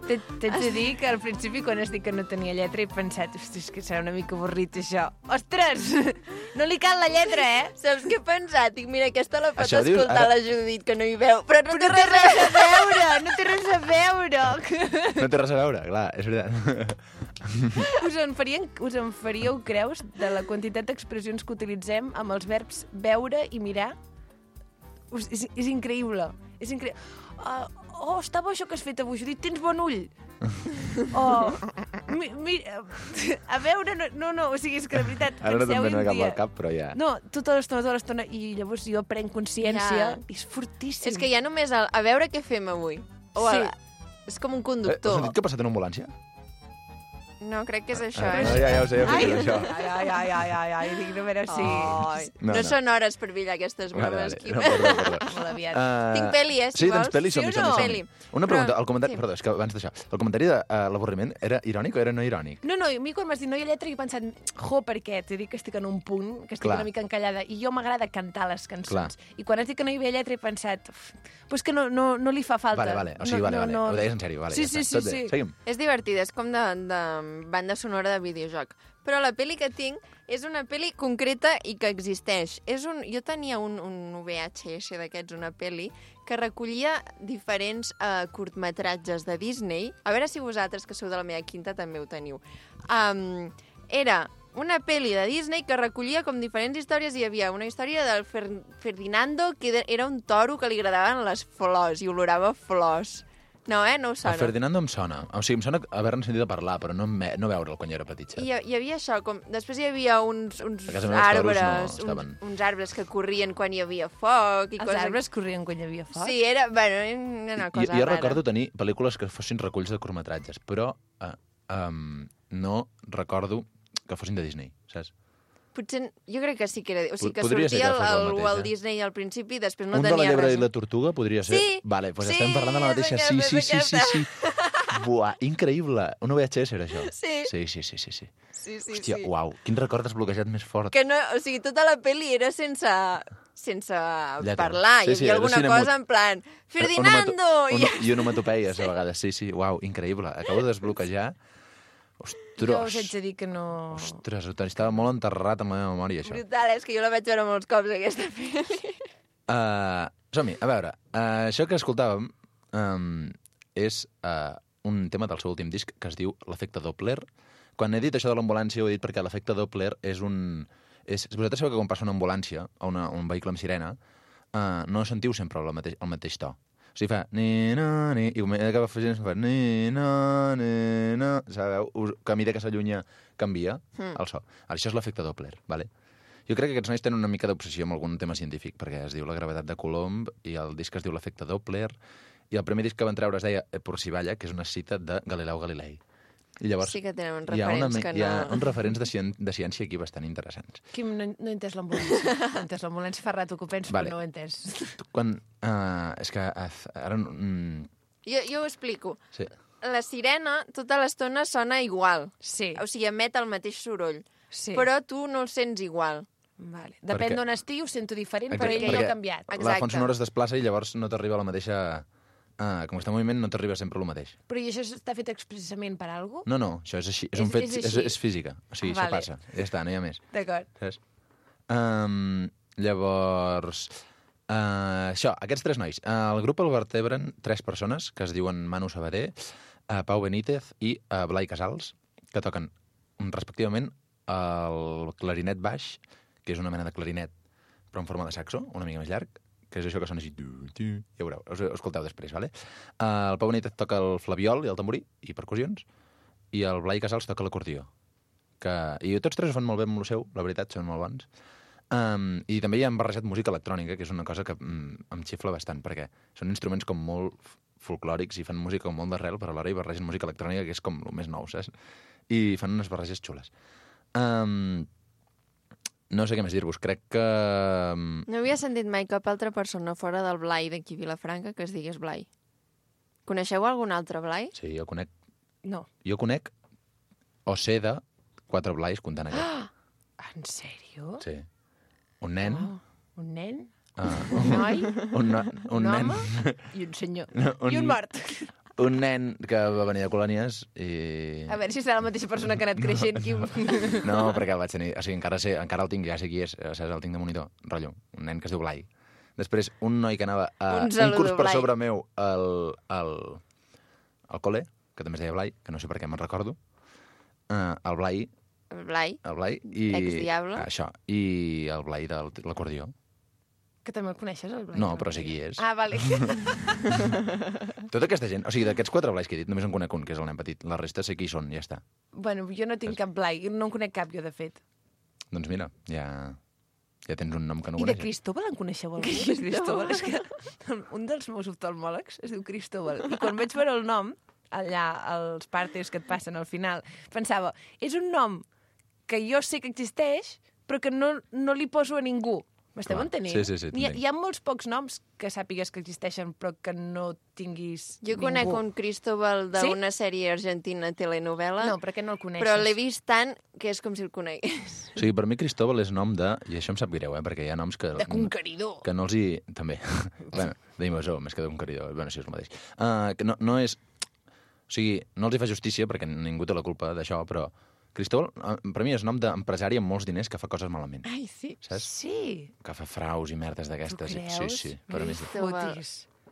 T'haig de dir que al principi, quan has dit que no tenia lletra, he pensat, hosti, és que serà una mica avorrit, això. Ostres! No li cal la lletra, eh? Saps què he pensat? Dic, mira, aquesta la pot Això dius, escoltar ara- la Judit, que no hi veu, però no té No té res a res a veure, no té res a veure. No té res a veure, clar, és veritat. Us en faríeu creus de la quantitat d'expressions que utilitzem amb els verbs veure i mirar? És increïble. És increïble. Oh, està bo això que has fet avui, Judit, tens bon ull. Oh, mira, a veure, no, o sigui, és que de veritat, Ara no te'n penseu-hi ve un cap dia. al cap, però ja... No, tota l'estona, i llavors jo prenc consciència, Ja. i és fortíssim. És que hi ha només el, a veure què fem avui. O Sí. és com un Has conductor. sentit que ha passat en una ambulància? No, crec que és això. Ja ho sé, Ai, és això. ai, dic, no, a veure si... Ai, No, no, no. són hores per billar aquestes bromes. No, perdó. Molt aviat. Tinc pel·li, si Sí, vols. tens pel·li, som-hi, Sí o som-hi, no? som-hi. Pel·li. Una pregunta, el comentari... sí. Perdó, és que abans d'això, el comentari de l'avorriment era irònic o era no irònic? No, a mi quan m'has dit no hi ha lletra he pensat, per què? T'he dit que estic en un punt, que estic Clar. una mica encallada, i jo m'agrada cantar les cançons. Clar. I quan has dit que no hi havia lletra he pensat, pues que no li fa falta. Vale, o sigui, vale. Ho deies en sèrio, vale, Sí, ja sí, està. Tot sí, bé, sí. seguim. És divertida, és com de banda sonora de videojoc. Però la pel·li que tinc és una pel·li concreta i que existeix. Jo tenia un VHS d'aquests, una pel·li, que recollia diferents curtmetratges de Disney. A veure si vosaltres, que sou de la meva quinta, també ho teniu. Era una pel·li de Disney que recollia com diferents històries. Hi havia una història del Ferdinando, que era un toro que li agradaven les flors i olorava flors. No, no ho El sona. Ferdinando em sona. O sigui, em sona haver-ne sentit a parlar, però no veure'l quan jo era petit, saps? Hi havia això, després hi havia uns A casa meva els toros no arbres, estaven. uns arbres que corrien quan hi havia foc. I Els arbres corrien quan hi havia foc? Sí, era una cosa Jo rara. recordo tenir pel·lícules que fossin reculls de curtmetratges, però no recordo que fossin de Disney, saps? Potser, jo crec que sí que era... O sigui, que Podria ser sortia que fos el el mateix, Walt eh? Disney al principi i després no Un de la tenia llebre res. i la tortuga podria ser? Sí, Vale, doncs sí, estem parlant de la mateixa. és Sí, aquesta, sí, és sí, sí, sí. Buah, increïble. Una VHS era això. Sí. Sí. Sí, Hòstia, uau, quin record desbloquejat més fort. Que no, o sigui, tota la pel·li era sense Lletra. parlar. Sí, Hi sí, havia era alguna cinemut. cosa en plan, Ferdinando! I onomatopeies, a vegades. Sí, uau, increïble. Acabo de desbloquejar. Jo us haig Ostres, de dir que no... ostres, estava molt enterrat en la meva memòria, això. Brutal, és que jo la vaig veure molts cops, aquesta pel·li. Som-hi, a veure. Això que escoltàvem és un tema del seu últim disc que es diu L'efecte Doppler. Quan he dit això de l'ambulància ho he dit perquè l'efecte Doppler és un... Vosaltres sabeu que quan passa una ambulància o un vehicle amb sirena no sentiu sempre el mateix to. O sigui, fa ni-na, ni, i acaba fent fa ni-na, sabeu? Que a mesura que s'allunya canvia el so. Això és l'efecte Doppler, vale? Jo crec que aquests nois tenen una mica d'obsessió amb algun tema científic, perquè es diu La gravetat de Coulomb i el disc es diu L'efecte Doppler, i el primer disc que van treure es deia Por si balla, que és una cita de Galileu Galilei. I llavors Sí que tenen uns hi ha referents que no... hi ha uns referents de ciència aquí bastant interessants. Quim, no he entès l'ambulància. No he entès l'ambulància, fa rato que ho penso, Vale. però no ho he entès. Quan... és que ara... Jo ho explico. sí. La sirena tota l'estona sona igual. Sí, O sigui, emet el mateix soroll. sí. Però tu no el sents igual. Vale. Perquè- Depèn d'on estigui, ho sento diferent, però Exacte, ell no perquè ha canviat. La Exacte. font sonora es desplaça i llavors no t'arriba la mateixa... com està en moviment no t'arriba sempre el mateix. Però i això està fet expressament per alguna cosa? No, això és així. És un fet, És així. és física. O sigui, Vale. això passa. Ja està, no hi ha més. D'acord. Saps? Llavors... això, aquests tres nois. El grup el vertebren 3 persones que es diuen Manu Sabater, Pau Benítez i Blai Casals, que toquen respectivament el clarinet baix, que és una mena de clarinet, però en forma de saxo, una mica més llarg, que és això que sona així... Ja veureu, us ho escolteu després, vale? El Pau Benítez toca el flabiol i el tamborí, i percussions, i el Blai Casals toca l'acordió. I tots tres ho fan molt bé amb el seu, la veritat, són molt bons. I també hi han barrejat música electrònica, que és una cosa que em xifla bastant, perquè són instruments com molt folclòrics i fan música com molt d'arrel, però alhora hi barregen música electrònica, que és com el més nou, saps? I fan unes barreges xules. No sé què més dir-vos, crec que... No havia sentit mai cap altra persona fora del Blai d'aquí a Vilafranca que es digués Blai. Coneixeu algun altre Blai? Sí, jo conec o sé de 4 Blais comptant aquest. En sèrio? Sí. Un nen... Un nen? un noi? Un Un nen... home? I un senyor. No, I un mort. Un nen que va venir de colònies i... A veure si serà la mateixa persona que ha anat creixent, Quim. No, perquè el vaig tenir... O sigui, encara el tinc, ja sé qui és, saps? El tinc de monitor, rotllo. Un nen que es diu Blai. Després, un noi que anava a Un un saludo, curs per Blai. sobre meu al col·le, que també es deia Blai, que no sé per què me'n recordo. El Blai, El Blai. i... Ex-diable. Això, i el Blai de l'acordió. Que també el coneixes, el Blai? No, però sé qui és. Ah, vale. Tota aquesta gent, o sigui, d'aquests 4 Blais que he dit, només en conec un, que és el nen petit. La resta sé qui són, ja està. Bueno, jo no tinc cap Blai, no en conec cap jo, de fet. Doncs mira, ja tens un nom que no I de coneixes. Cristóbal en coneixeu algú? De Cristóbal? És que un dels meus oftalmòlegs es diu Cristóbal. I quan vaig veure el nom, allà, als partes que et passen al final, pensava, és un nom que jo sé que existeix, però que no li poso a ningú. M'esteu Clar. entenent? Sí, Hi ha molts pocs noms que sàpigues que existeixen, però que no tinguis Jo ningú. conec un Cristóbal d'una sèrie argentina telenovela, No, però que no el coneixes. però l'he vist tant que és com si el conegués. O sigui, per mi Cristóbal és nom de... I això em sap greu, perquè hi ha noms que... De conqueridor. Que no els hi... També. Bueno, d'invasor, més que de conqueridor. Bueno, sí, és el mateix. Que no és... O sigui, no els hi fa justícia, perquè ningú té la culpa d'això, però Cristóbal, per mi, és nom d'empresari amb molts diners que fa coses malament. Ai, sí. Saps? Sí. Que fa fraus i merdes d'aquestes. Tu creus? Sí, per mi sí. Cristóbal. Fotis.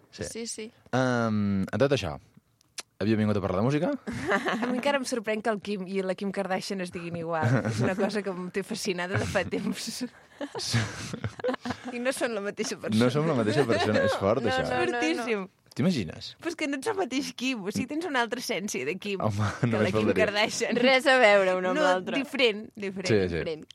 Sí. Sí, sí. En tot això, havia vingut a parlar de música? A mi encara em sorprèn que el Kim i la Kim Kardashian es diguin igual. És una cosa que em té fascinada de fa temps. I no són la mateixa persona. No som la mateixa persona, és fort, No, això. no, no. Fortíssim. T'imagines? Però és que no ets el mateix Kim, o sigui, tens una altra essència de Kim Home, que la només Kim faltaria. Kardashian. Res a veure un amb No, l'altre. diferent. Diferent.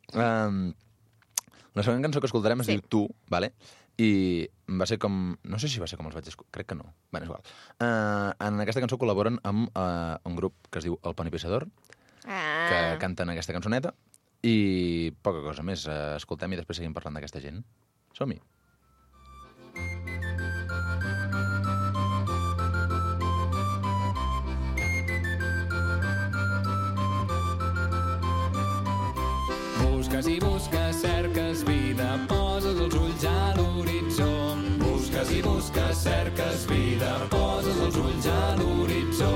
La següent cançó que escoltarem es Sí. diu Tu, vale? I va ser com... No sé si va ser com els vaig escoltar, crec que no. Bé, és igual. En aquesta cançó col·laboren amb un grup que es diu El Poni Pissador, que canten aquesta cançoneta, i poca cosa més. Escoltem i després seguim parlant d'aquesta gent. Som-hi. Busques i busques, cerques vida, poses els ulls a l'horitzó. Busques i busques, cerques vida, poses els ulls a l'horitzó.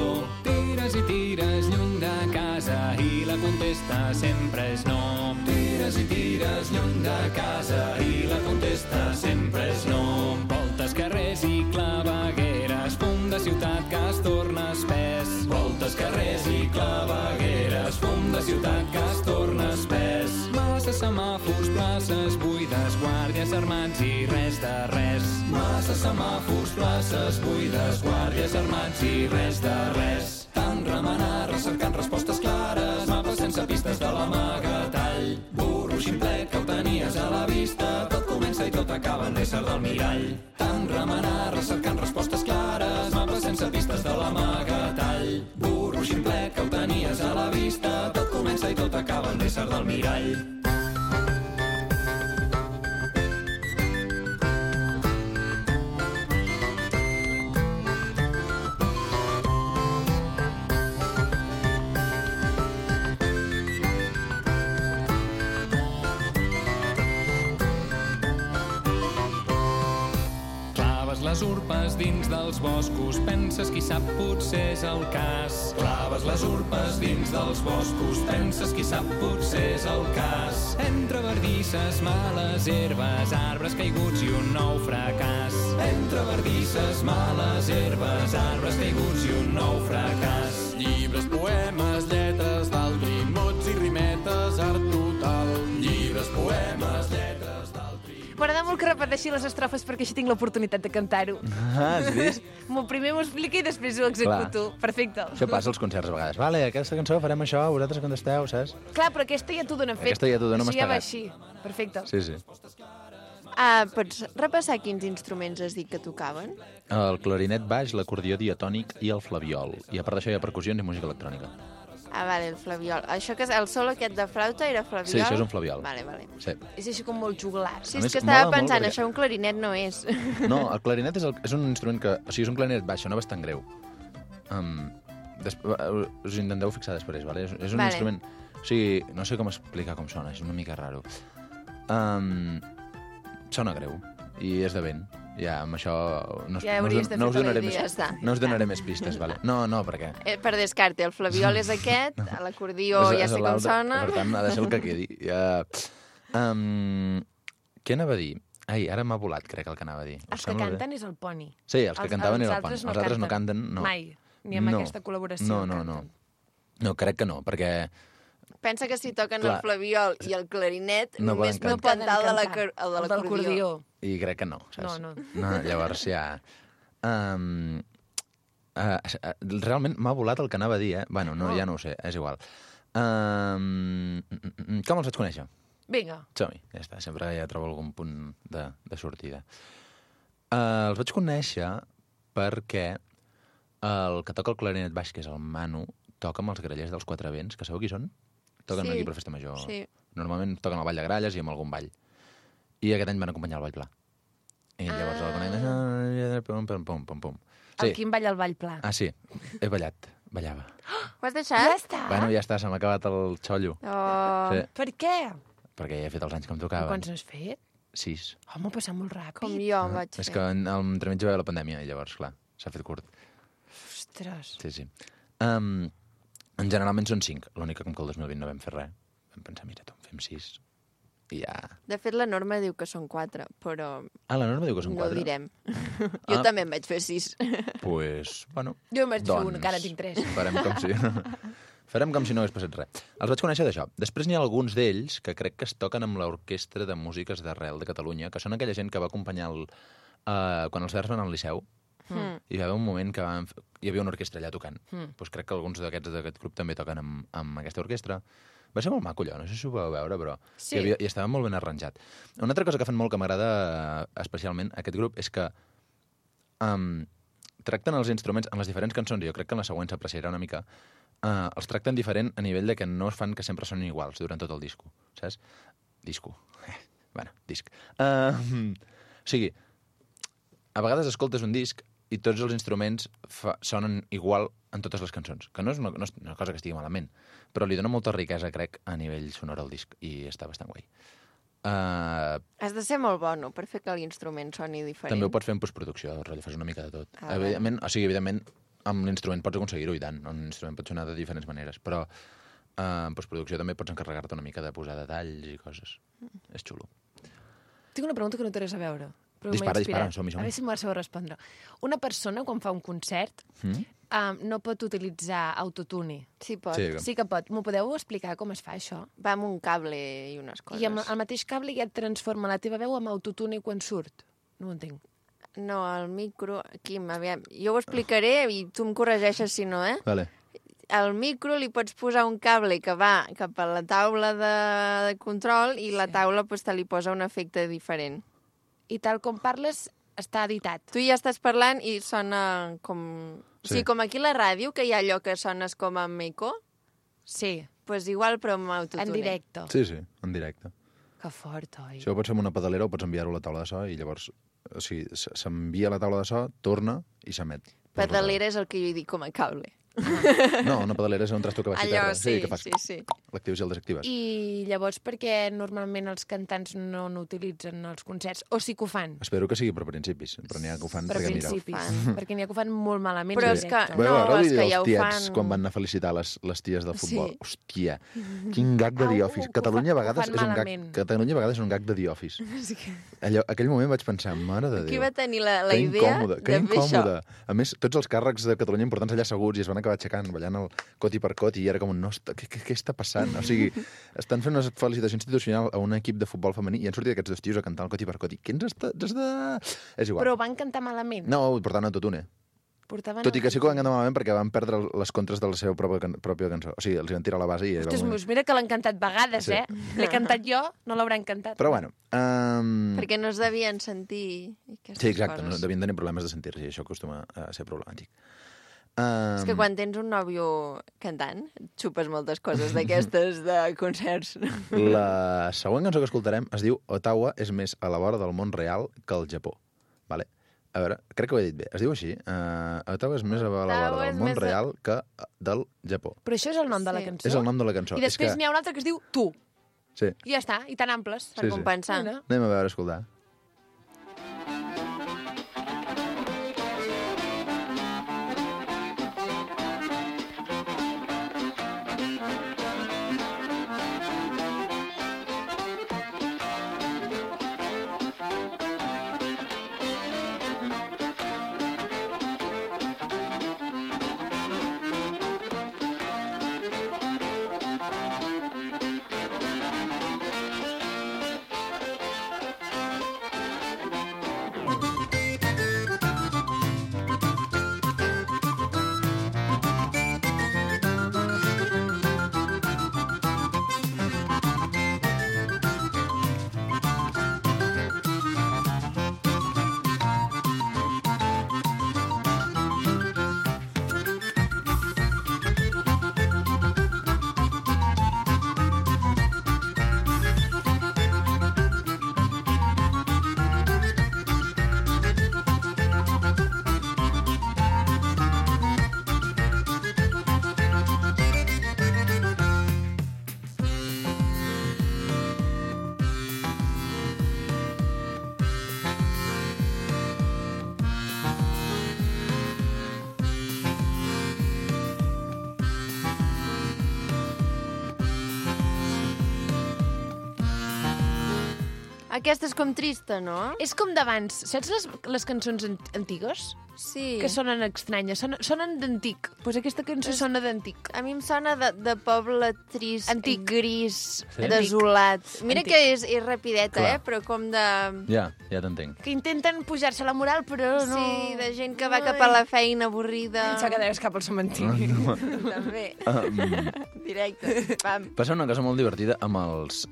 Tires i tires lluny de casa i la contesta sempre és no. Tires i tires lluny de casa i la contesta sempre és no. Voltes carrers i clavegueres, fum de ciutat que es torna espès. Voltes carrers i clavegueres, fum de ciutat que es torna espès. Massa semàfors, places buides, guàrdies armats i res de res. Massa semàfors, places buides, guàrdies armats i res de res. Tant remenar, recercant respostes clares, mapes sense pistes de l'amagatall. Burro ximplet que ho tenies a la vista, tot comença i tot acaba en l'ésser del mirall. Tant remenar, recercant respostes clares, mapes sense pistes de l'amagatall. Burro ximplet que ho tenies a la vista, tot comença i tot acaba en l'ésser del mirall. Claves les urpes dins dels boscos, penses qui sap potser és el cas. Claves les urpes dins dels boscos, penses qui sap potser és el cas. Entre verdisses, males herbes, arbres caiguts i un nou fracàs. Entre verdisses, males herbes, arbres caiguts i un nou fracàs. Llibres, poemes, lletres d'altri, mots i rimetes, art total. Llibres, poemes, lletres d'altri. M'agrada molt que repeteixi les estrofes perquè així tinc l'oportunitat de cantar-ho. Has vist? Primer m'ho explica i després ho executo. Perfecte. Això passa als concerts a vegades. Vale, aquesta cançó farem això, vosaltres contesteu, saps? Clar, però aquesta ja t'ho dona fet. Aquesta ja t'ho dona Això ja va mastegat. així. Perfecte. Sí, sí. Pots repassar quins instruments has dit que tocaven? El clarinet baix, l'acordió diatònic i el flabiol. I a part d'això hi ha percussions i música electrònica. Vale, el flabiol. Això que és el solo aquest de flauta era flabiol? Sí, això és un flabiol. Vale. Sí. És així com molt juglar. Sí, A és més, que estava mola molt pensant, perquè- això un clarinet no és. No, el clarinet és un instrument que... O sigui, és un clarinet baix, no és tan greu. Us intenteu fixar després, vale? És un Vale. instrument... O sigui, no sé com explicar com sona, és una mica raro. Sona greu i és de vent. Ja, amb això Ja hauries de no us fer-te la donaré idea, més, està. no us donaré més pistes, vale? No, perquè... Per descarte, el flabiol és aquest, l'acordió ja sé com l'altre, sona. Per tant, ha de ser el que quedi. Què anava a dir? Ai, ara m'ha volat, crec, el que anava a dir. Us Els que sembla bé? canten és el poni. Sí, els que cantaven era el pont. altres Els altres no canten, no. Mai, ni amb aquesta col·laboració No. canten. No, crec que no, perquè... Pensa que si toquen Clar. el flabiol i el clarinet, No només poden pot cantar. cantar el de cantar. el de El l'acordió. d'acordió. I crec que no, saps? No. Llavors ja... Realment m'ha volat el que anava a dir, eh? Bueno, no, ja no ho sé, és igual. Com els vaig conèixer? Vinga. Som-hi, ja està, sempre ja trobo algun punt de sortida. Els vaig conèixer perquè el que toca el clarinet baix, que és el Manu, toca amb els grallers dels Quatre Vents, que sabeu qui són? Toquen Sí. aquí per Festa Major. Sí. Normalment toquen al Ball de Gralles i amb algun ball. I aquest any van acompanyar el Ball Pla. I llavors el conec... Pum. El Quim balla el ball pla. Ah, sí, he ballat, ballava. Ho has deixat? Ja està. Bueno, ja està, se m'ha acabat el xollo. Oh, Sí, Per què? perquè ja he fet els anys que em Però tocaven. quants n'has fet? 6. Home, ha passat molt ràpid. com jo em vaig És fer. que entremig va haver la pandèmia i llavors, clar, s'ha fet curt. Ostres. Sí. Generalment són 5. L'únic que com que el 2020 no vam fer res. Vam pensar, mira, tu, en fem 6. I ja... De fet, la norma diu que són 4, però Ah, la norma diu que són no ho 4? direm. Jo Ah. també en vaig fer 6. Pues, bueno... Jo em vaig fer doncs, un, que ara tinc 3. Farem com si... Farem com si no hagués passat res. Els vaig conèixer d'això. Després n'hi ha alguns d'ells que crec que es toquen amb l'Orquestra de Músiques d'Arrel de Catalunya, que són aquella gent que va acompanyar quan els Verds van al Liceu, I hi va haver un moment que hi havia una orquestra allà tocant. Doncs crec que alguns d'aquest grup també toquen amb aquesta orquestra. Va ser molt maco allò, no sé si ho vau veure, però Sí. hi estava molt ben arranjat. Una altra cosa que fan molt que m'agrada especialment aquest grup és que tracten els instruments en les diferents cançons, i jo crec que en la següent s'apreciarà una mica, els tracten diferent a nivell de que no es fan que sempre sonin iguals durant tot el disco, saps? Disco. Bueno, disc. O sigui, a vegades escoltes un disc i tots els instruments sonen igual en totes les cançons, que no és una cosa que estigui malament, però li dona molta riquesa, crec, a nivell sonor al disc, i està bastant guai. Has de ser molt bo, no?, per fer que l'instrument soni diferent. També ho pots fer en postproducció, rotllo, fas una mica de tot. Ah, Evidentment, amb l'instrument pots aconseguir-ho, i tant. Un instrument pot sonar de diferents maneres, però en postproducció també pots encarregar-te una mica de posar detalls i coses. És xulo. Tinc una pregunta que no té res a veure. Però Dispara, m'ha inspirat. dispara, som-hi. A veure si m'ho sabeu respondre. Una persona, quan fa un concert, no pot utilitzar autotune. Sí, pot. Sí. Sí que pot. M'ho podeu explicar com es fa, això? Va amb un cable i unes coses. I amb el mateix cable ja et transforma la teva veu amb autotune quan surt. No ho entenc. No, el micro... Quim, aviam, jo ho explicaré i tu em corregeixes si no, Vale. Al micro li pots posar un cable que va cap a la taula de control i la taula pues, te li posa un efecte diferent. I tal com parles, està editat. Tu ja estàs parlant i sona com... Sí. Sí, com aquí a la ràdio, que hi ha allò que sones com amb eco, Sí, pues igual, però amb autotune. en directe. Sí, en directe. Que fort, oi? Això ho pots fer amb una pedalera o pots enviar-ho a la taula de so i llavors o sigui, s'envia a la taula de so, torna i s'emet. Pedalera és el que jo dic com a cable. No, una pedalera és un trasto que baixi Allò, terra. sí, que fas sí. l'actives i el desactives. I llavors per què normalment els cantants no n'utilitzen els concerts? O sí que ho fan? Espero que sigui per principis, però n'hi ha que ho fan Per perquè mireu. principis. Perquè n'hi ha que ho fan molt malament. Però en és que- directe. Vau No, veure és que els ja ho tiets fan- quan van anar a felicitar les ties del futbol? Sí. Hòstia, quin gag de The Au, Office. que ho Catalunya a fan vegades és un gag, malament. Catalunya a vegades és un gag de The Office. Aquell moment vaig pensar, mare de Déu. Qui va tenir la Que idea incòmode, de que fer això? incòmode. A més, tots els càrrecs de Catalunya importants allà asseguts i es van acabar aixecant, ballant el coti per coti, i era com, no, què està passant? O sigui, estan fent una felicitació institucional a un equip de futbol femení i han sortit aquests dos tios a cantar el coti per coti. Què ens està... És igual. Però van cantar malament. No, portaven autotune. Portaven Tot i que sí que ho van cantar malament perquè van perdre les contres de la seva pròpia cançó. O sigui, els hi van tirar a la base i... Ostres, mira que l'han cantat vegades, Sí. L'he cantat jo, no l'hauran cantat. Però bueno... Perquè no es devien sentir aquestes Sí, exacte, no coses. devien tenir problemes de sentir-se i això acostuma a ser problemàtic. És que quan tens un nòvio cantant, xupes moltes coses d'aquestes de concerts. La següent cançó que escoltarem es diu Ottawa és més a la vora del món real que el Japó. Vale? A veure, crec que ho he dit bé. Es diu així. Ottawa és més a la vora Ottawa del és món més a- real que del Japó. Però això és el nom de la Sí. cançó? És el nom de la cançó. I després és que... n'hi ha un altre que es diu Tu. Sí. I ja està, i tan amples. Per Sí, sí. compensar. Mira. Anem a veure, escoltar. Aquesta és com trista, no? És com d'abans. Saps les cançons antigues? Sí. que sonen estranyes, sonen d'antic. Pues aquesta cançó sona d'antic. A mi em sona de poble trist, Antic. gris, Sí? desolat. Mira Antic. que és rapideta, Clar. però com de... Ja t'entenc. Que intenten pujar-se la moral, però no... Sí, de gent que va cap a la feina avorrida. Pensa que deies cap al cementiri. També. Directe. Pam. Passa una cosa molt divertida amb els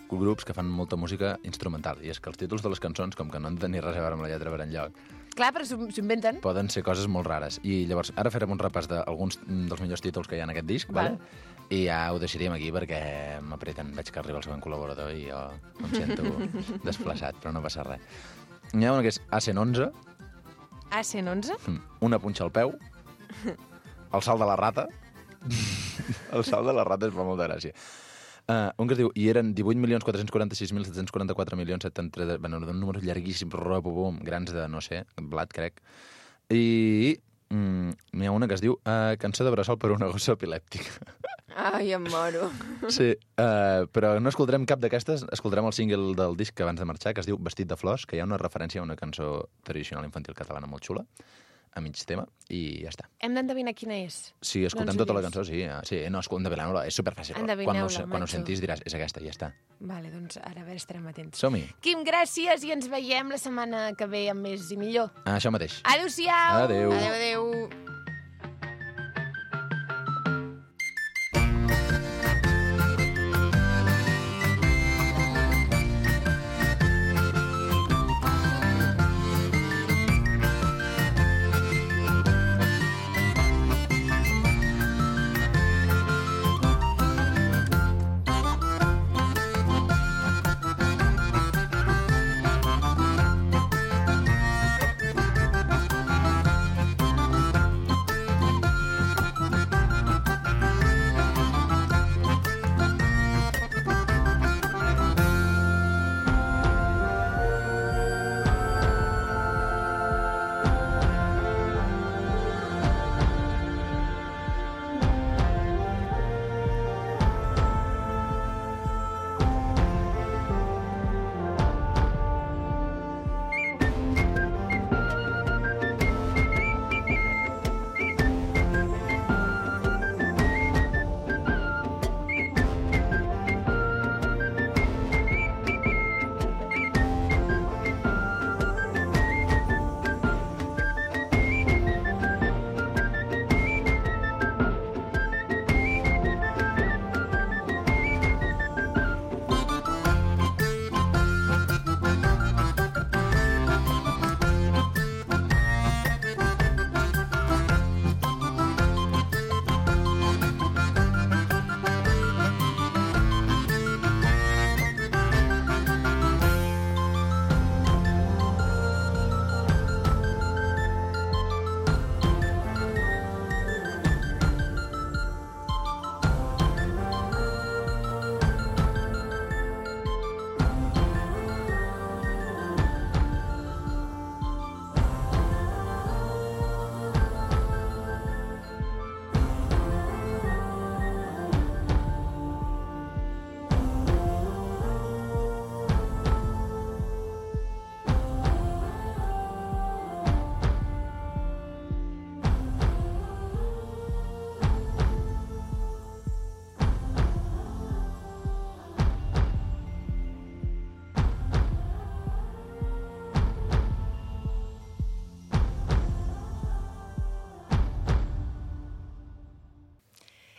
grups que fan molta música instrumental, i és que els títols de les cançons, com que no han de tenir res a veure amb la lletra per enlloc, Clar, però s'ho inventen. poden ser coses molt rares. I llavors, ara farem un repàs d'alguns dels millors títols que hi ha en aquest disc, vale? I ja ho deixaríem aquí perquè m'apreten. Veig que arriba el següent col·laborador i jo em sento desplaçat, però no passa res. N'hi ha una que és AC11, A111? una punxa al peu, el salt de la rata. El salt de la rata es fa molta gràcia. Un que es diu, i eren 18.446.744.733... Bueno, un número llarguíssim, grans de, no sé, blat, crec. I n'hi ha una que es diu Cançó de bressol per una gossa epilèptica. Ai, em moro. Sí, però no escoltarem cap d'aquestes, escoltarem el single del disc abans de marxar, que es diu Vestit de flors, que hi ha una referència a una cançó tradicional infantil catalana molt xula, a mig tema, i ja està. Hem d'endevinar quina és. Si escoltem Doncs ho tota la dius. cançó, sí. Sí, no, endevineu-la, és superfàcil. Endevineu-la, Quan ho maco. sentis diràs, és aquesta, i ja està. Vale, doncs ara a veure, estarem atents. Som-hi. Quim, gràcies i ens veiem la setmana que ve amb més i millor. Això mateix. Adéu-siau! Adéu. Adéu, adéu.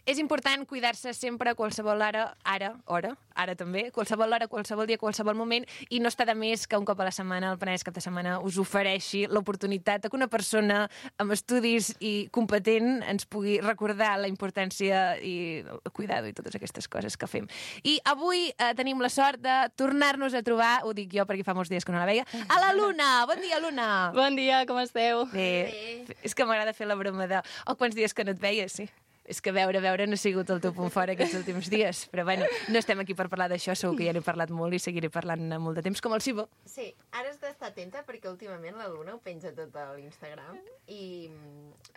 És important cuidar-se sempre a qualsevol hora també, qualsevol hora, qualsevol dia, qualsevol moment, i no està de més que un cop a la setmana, el Penedès Cap de Setmana, us ofereixi l'oportunitat que una persona amb estudis i competent ens pugui recordar la importància i el cuidado i totes aquestes coses que fem. I avui tenim la sort de tornar-nos a trobar, ho dic jo perquè fa molts dies que no la veia, a la Luna! Bon dia, Luna! Bon dia, com esteu? Bé. És que m'agrada fer la broma de quants dies que no et veia, sí. És que veure no ha sigut el teu punt fort aquests últims dies. Però bueno, no estem aquí per parlar d'això, segur que ja n'he parlat molt i seguiré parlant molt de temps, com el Sibo. Sí, ara has d'estar atenta perquè últimament la Luna ho penja tot a l'Instagram i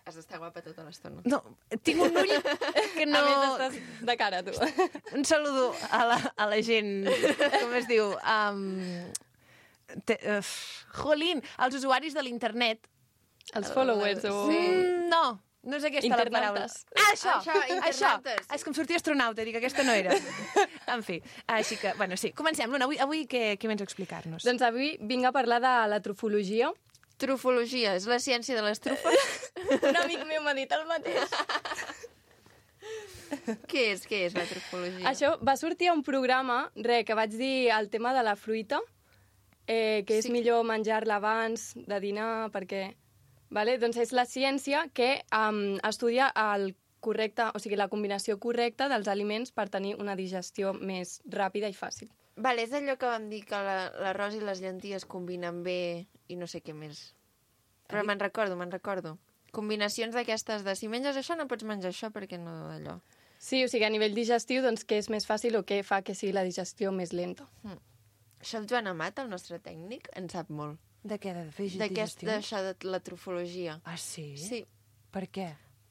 has d'estar guapa tota l'estona. No, tinc un ull que no... A més, estàs de cara, tu. Un saludo a la gent, com es diu, Jolín, els usuaris de l'internet... Els followers o... No, no és aquesta la paraula. Internautes. Això, internautes. És que em sortia astronauta, dic, aquesta no era. En fi, així que, bueno, sí. Comencem, Luna, avui què vens a explicar-nos? Doncs avui vinc a parlar de la trufologia. Trufologia, és la ciència de les trufes? Un amic meu m'ha dit el mateix. Què és la trufologia? Això va sortir a un programa, que vaig dir el tema de la fruita, que és millor menjar-la abans de dinar, perquè... Vale? Doncs és la ciència que estudia el correcte, o sigui, la combinació correcta dels aliments per tenir una digestió més ràpida i fàcil. Vale, és allò que vam dir que l'arròs i les llenties combinen bé i no sé què més. Però me'n recordo. Combinacions d'aquestes de si menges això no pots menjar això perquè no d'allò. Sí, o sigui, a nivell digestiu, doncs què és més fàcil o què fa que sigui la digestió més lenta. Això el Joan Amat, el nostre tècnic, en sap molt. De què? De fer D'això digestions? de la trufologia. Ah, sí? Sí, Per què?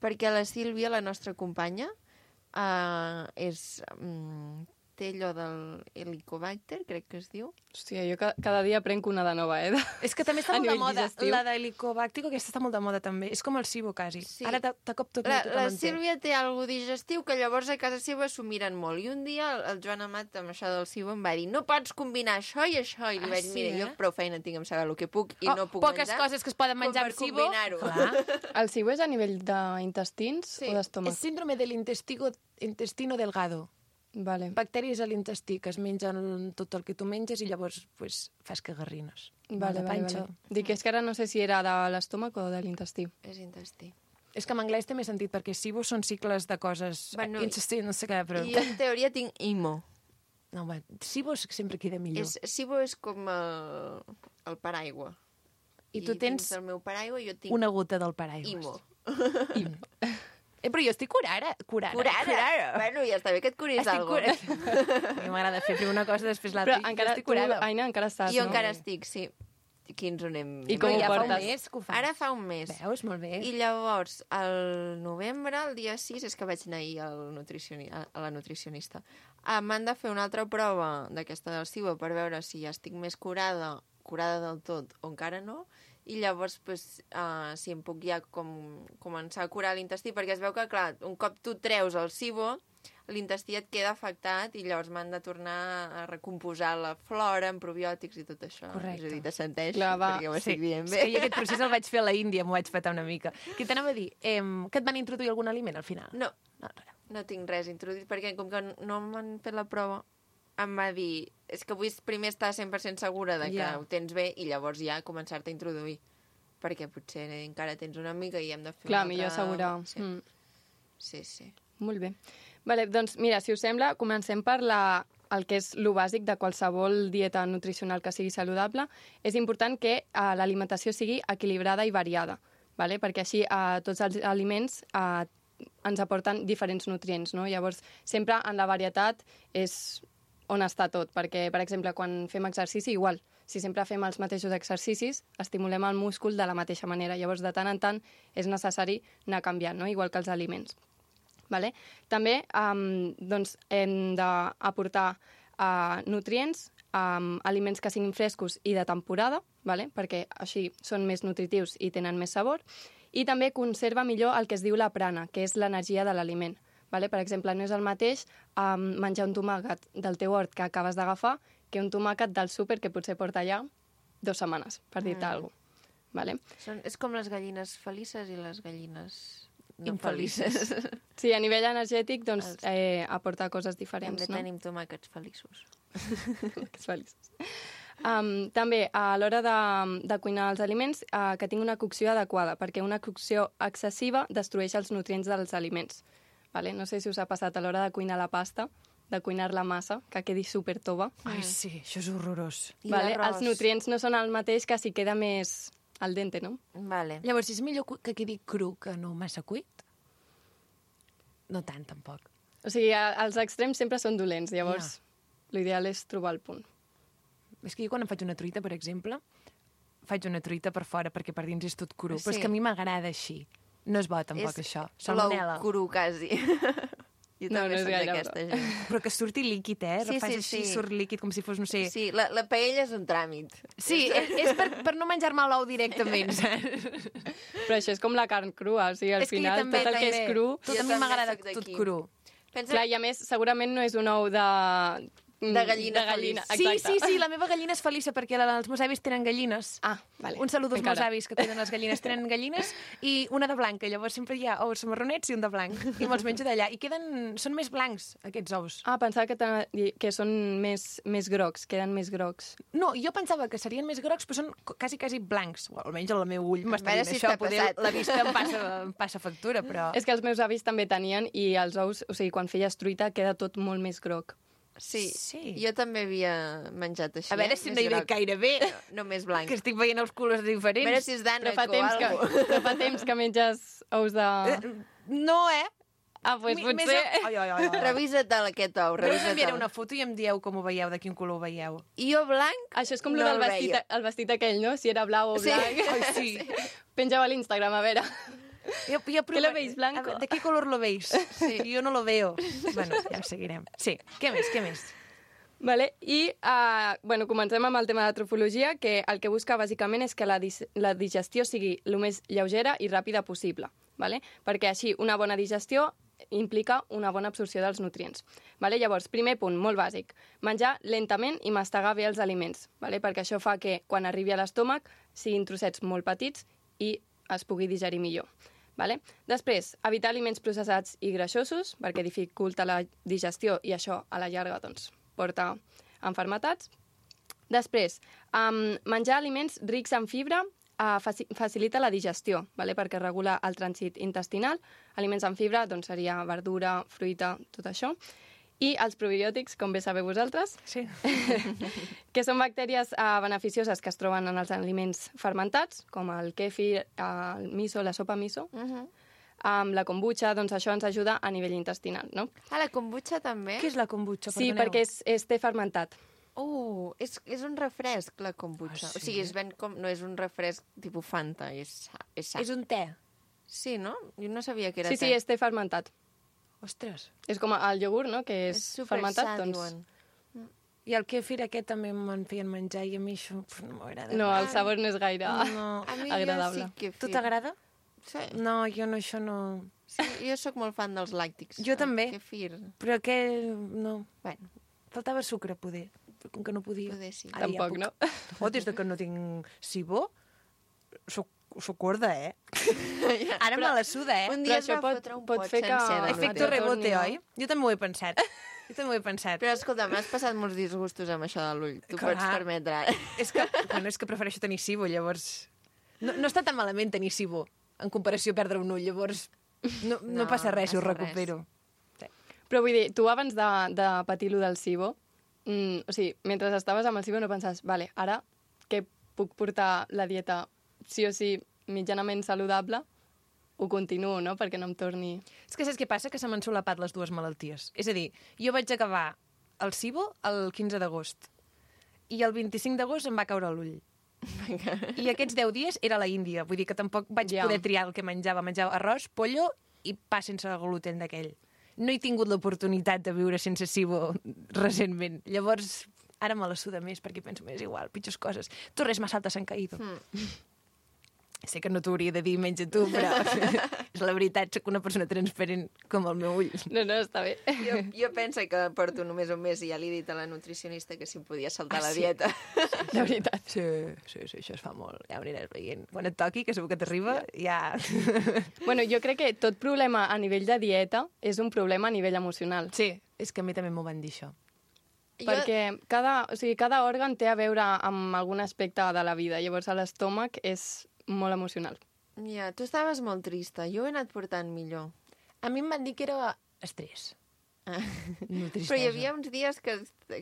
perquè la Sílvia, la nostra companya, té allò del Helicobacter, crec que es diu. Hòstia, jo cada dia prenc una de nova, És que també està A molt de nivell moda. digestiu. La de Helicobacter, aquesta està molt de moda també. És com el SIBO, quasi. Sí. Ara de cop tot La Sílvia té algo digestiu que llavors a casa seva s'ho miren molt. I un dia el Joan Amat, amb això del SIBO, em va dir no pots combinar això i això. I li vaig dir, sí, mira, jo prou feina tinc amb saber el que puc i no puc poques menjar. coses que es poden menjar com amb per SIBO. combinar-ho. Clar. El SIBO és a nivell d'intestins Sí. o d'estómac? És síndrome de l'intestino delgado. Vale. Bacteris a l'intestí, que es mengen tot el que tu menges i llavors pues, fas cagarrines. Vale, De vale, panxa. vale. Dic, és que ara no sé si era de l'estómac o de l'intestí. És intestí. És que en anglès té més sentit, perquè SIBO són cicles de coses... Bueno, intestí, no sé què, però... I jo, en teoria, tinc IMO. No, home, SIBO sempre queda millor. SIBO és com el paraigua. I tu tens dins el meu paraigua jo tinc una gota del paraigües. IMO. Però jo estic curada. Curara. Bueno, ja està bé que et curis Estic alguna cosa. curada. A mi m'agrada fer primer una cosa, després l'altra. Però encara, estic tu, curada. Aina, encara estàs, Jo no? encara estic, sí. Aquí ens ho anem... I com ho ja fa un portes? mes que ho fa. Ara fa un mes. Veus? Molt bé. I llavors, al novembre, el dia 6, és que vaig anar ahir a la nutricionista. M'han de fer una altra prova d'aquesta del SIBO per veure si ja estic més curada del tot o encara no, i llavors pues, si em puc ja començar a curar l'intestí, perquè es veu que, clar, un cop tu treus el SIBO, l'intestí et queda afectat i llavors m'han de tornar a recomposar la flora amb probiòtics i tot això. Correcte. És a dir, t'assenteix, Clar, va. perquè ho estic dient És bé. que jo aquest procés el vaig fer a la Índia, m'ho vaig petar una mica. Què t'anava a dir? Que et van introduir algun aliment al final? No, No, res. no tinc res introduït, perquè com que no m'han fet la prova, em va dir, és que vull primer estar 100% segura de que Ja. ho tens bé i llavors ja començar-te a introduir. Perquè potser encara tens una mica i hem de fer Clar, una millor altra... assegurar. Sí. Mm. Sí. Molt bé. Vale, doncs mira, si us sembla, comencem per el que és lo bàsic de qualsevol dieta nutricional que sigui saludable. És important que l'alimentació sigui equilibrada i variada, vale? Perquè així tots els aliments ens aporten diferents nutrients, no? Llavors, sempre en la varietat és on està tot, perquè, per exemple, quan fem exercici, igual, si sempre fem els mateixos exercicis, estimulem el múscul de la mateixa manera. Llavors, de tant en tant, és necessari anar canviant, no? Igual que els aliments. Vale? També doncs, hem d'aportar nutrients, aliments que siguin frescos i de temporada, vale? Perquè així són més nutritius i tenen més sabor, i també conserva millor el que es diu la prana, que és l'energia de l'aliment. Vale? Per exemple, no és el mateix menjar un tomàquet del teu hort que acabes d'agafar que un tomàquet del súper que potser porta allà 2 setmanes, per dir-te alguna cosa. Vale? És com les gallines felices i les gallines no Infelices. felices. Sí, a nivell energètic doncs, aporta coses diferents. També No? tenim tomàquets feliços. Que feliços. També, a l'hora de cuinar els aliments, que tingui una cocció adequada, perquè una cocció excessiva destrueix els nutrients dels aliments. Vale? No sé si us ha passat a l'hora de cuinar la pasta, de cuinar-la massa, que quedi super tova. Ai, sí, això és horrorós. I Vale? l'arròs. Els nutrients no són el mateix que si queda més al dente, no? Vale. Llavors, és millor que quedi cru que no massa cuit? No tant, tampoc. O sigui, els extrems sempre són dolents, llavors l'ideal és trobar el punt. És que jo quan em faig una truita, per exemple, faig una truita per fora perquè per dins és tot cru, però és Sí. que a mi m'agrada així. No és bo, tampoc, És això. Plou Salmonella. cru, quasi. Jo No, també no és soc gaire d'aquesta gent. Però que surti líquid, eh? Sí, Fas sí, així, sí. surt líquid com si fos, no sé... Sí, la paella és un tràmit. Sí, és per no menjar-me l'ou directament, saps? Però això és com la carn crua, o sigui, al És que jo final també, tot el que és cru... Tot Jo a mi també m'agrada soc tot d'aquí. cru. Pensa... Clar, i a més, segurament no és un ou de... De gallina Sí, exacte. sí, la meva gallina és feliça perquè els meus avis tenen gallines. Ah, vale. Un saludo als meus Encara. avis que tenen les gallines. Tenen gallines i una de blanca. Llavors sempre hi ha ous marronets i un de blanc. I me'ls menjo d'allà. I són més blancs, aquests ous. Ah, pensava que són més grocs, queden més grocs. No, jo pensava que serien més grocs, però són quasi blancs. O almenys el meu ull m'està veure dient si això. està passat. La vista em passa factura, però... És que els meus avis també tenien i els ous, o sigui, quan feies truita queda tot molt més groc. Sí. Sí. Jo també havia menjat així. A veure si no hi ve gaire bé, No més blanc. que estic veient els colors A diferents. veure si és Però d'ànec o alguna però fa temps que menges ous de... No, eh? Ah, doncs Més potser... Ai. Revisa't aquest ou, Però us enviaré revisa't. una foto i em dieu com ho veieu, de quin color ho veieu. I jo blanc? Això és com No no del el vestit, veia. el vestit aquell, no? Si era blau o Sí. blanc. Ai, sí. Penja-ho a l'Instagram, a veure. Jo ¿Qué lo veis, blanco? A ver, ¿de qué color lo veis? Sí. Yo no lo veo. Bueno, ja ho seguirem. Sí, què més? Vale? I, bueno, comencem amb el tema de trofologia, que el que busca bàsicament és que la digestió sigui el més lleugera i ràpida possible, vale? Perquè així una bona digestió implica una bona absorció dels nutrients. Vale? Llavors, primer punt, molt bàsic, menjar lentament i mastegar bé els aliments, vale? Perquè això fa que quan arribi a l'estómac siguin trossets molt petits i es pugui digerir millor. Vale? Després, evitar aliments processats i greixosos, perquè dificulta la digestió i això a la llarga doncs, porta enfermetats. Després, menjar aliments rics en fibra facilita la digestió, vale? Perquè regula el trànsit intestinal. Aliments en fibra doncs, seria verdura, fruita, tot això. I els probiòtics, com bé sabeu vosaltres, Sí. que són bactèries beneficioses que es troben en els aliments fermentats, com el kefir, el miso, la sopa miso. Amb la kombucha, doncs això ens ajuda a nivell intestinal, no? Ah, la kombucha també? Què és la kombucha? Sí, Perdoneu. perquè és té fermentat. És un refresc, la kombucha. Ah, sí? O sigui, es ven com... No és un refresc tipus Fanta, és sa. És un te. Sí, no? Jo no sabia que era Sí, te. sí, és té fermentat. Ostres. És com el iogurt, no?, que és super fermentat, sa, doncs... diuen. I el kefir aquest també me'n feien menjar i a mi això no m'agrada. No, el sabor no és gaire No. A mi agradable. jo sí que... Tu t'agrada? Sí. No, jo no, això no... Sí, jo sóc molt fan dels làctics. Jo també. Kefir. Però que no... Bueno, Faltava sucre, poder. Però com que no podia. poder sí. Ara ja Tampoc, puc. no? Oh, des de que no tinc sibó, soc gorda, eh? Ara me la suda, eh? Un Però dia es això va fotre un pot pot fer que- sencer de Efecto gluten. rebote, no? oi? Jo també ho he pensat. Però escolta, m'has passat molts disgustos amb això de l'ull. Tu Clar. pots permetre ara. És que prefereixo tenir cibo, llavors... No està tan malament tenir cibo, en comparació a perdre un ull, llavors no passa res si ho passa res. recupero. Però vull dir, tu abans de patir lo del SIBO, o sigui, mentre estaves amb el SIBO no pensaves, vale, ara que puc portar la dieta sí o sí mitjanament saludable, ho continuo, no?, perquè no em torni... És que saps què passa? Que se m'han solapat les dues malalties. És a dir, jo vaig acabar el cibo el 15 d'agost i el 25 d'agost em va caure l'ull. I aquests 10 dies era a la Índia. Vull dir que tampoc vaig Ja. poder triar el que menjava. Menjava arròs, pollo i pa sense gluten d'aquell. No he tingut l'oportunitat de viure sense cibo recentment. Llavors, ara me la suda més perquè penso, és igual, pitjors coses. Torres más altas han caído. Sé que no t'ho hauria de dir menys a tu, però és la veritat, soc una persona transparent com el meu ull. No, està bé. Jo penso que porto només un mes i ja li he dit a la nutricionista que si em podia saltar la sí? dieta. De veritat. Sí, això es fa molt. Ja ho aniràs veient. Quan et toqui, que segur que t'arriba, ja... Bueno, jo crec que tot problema a nivell de dieta és un problema a nivell emocional. Sí, és que a mi també m'ho van dir, això. Perquè cada òrgan té a veure amb algun aspecte de la vida. Llavors, l'estómac és molt emocional. Ja, tu estaves molt trista. Jo ho he anat portant millor. A mi em van dir que era estrès. No tristesa. Però hi havia uns dies que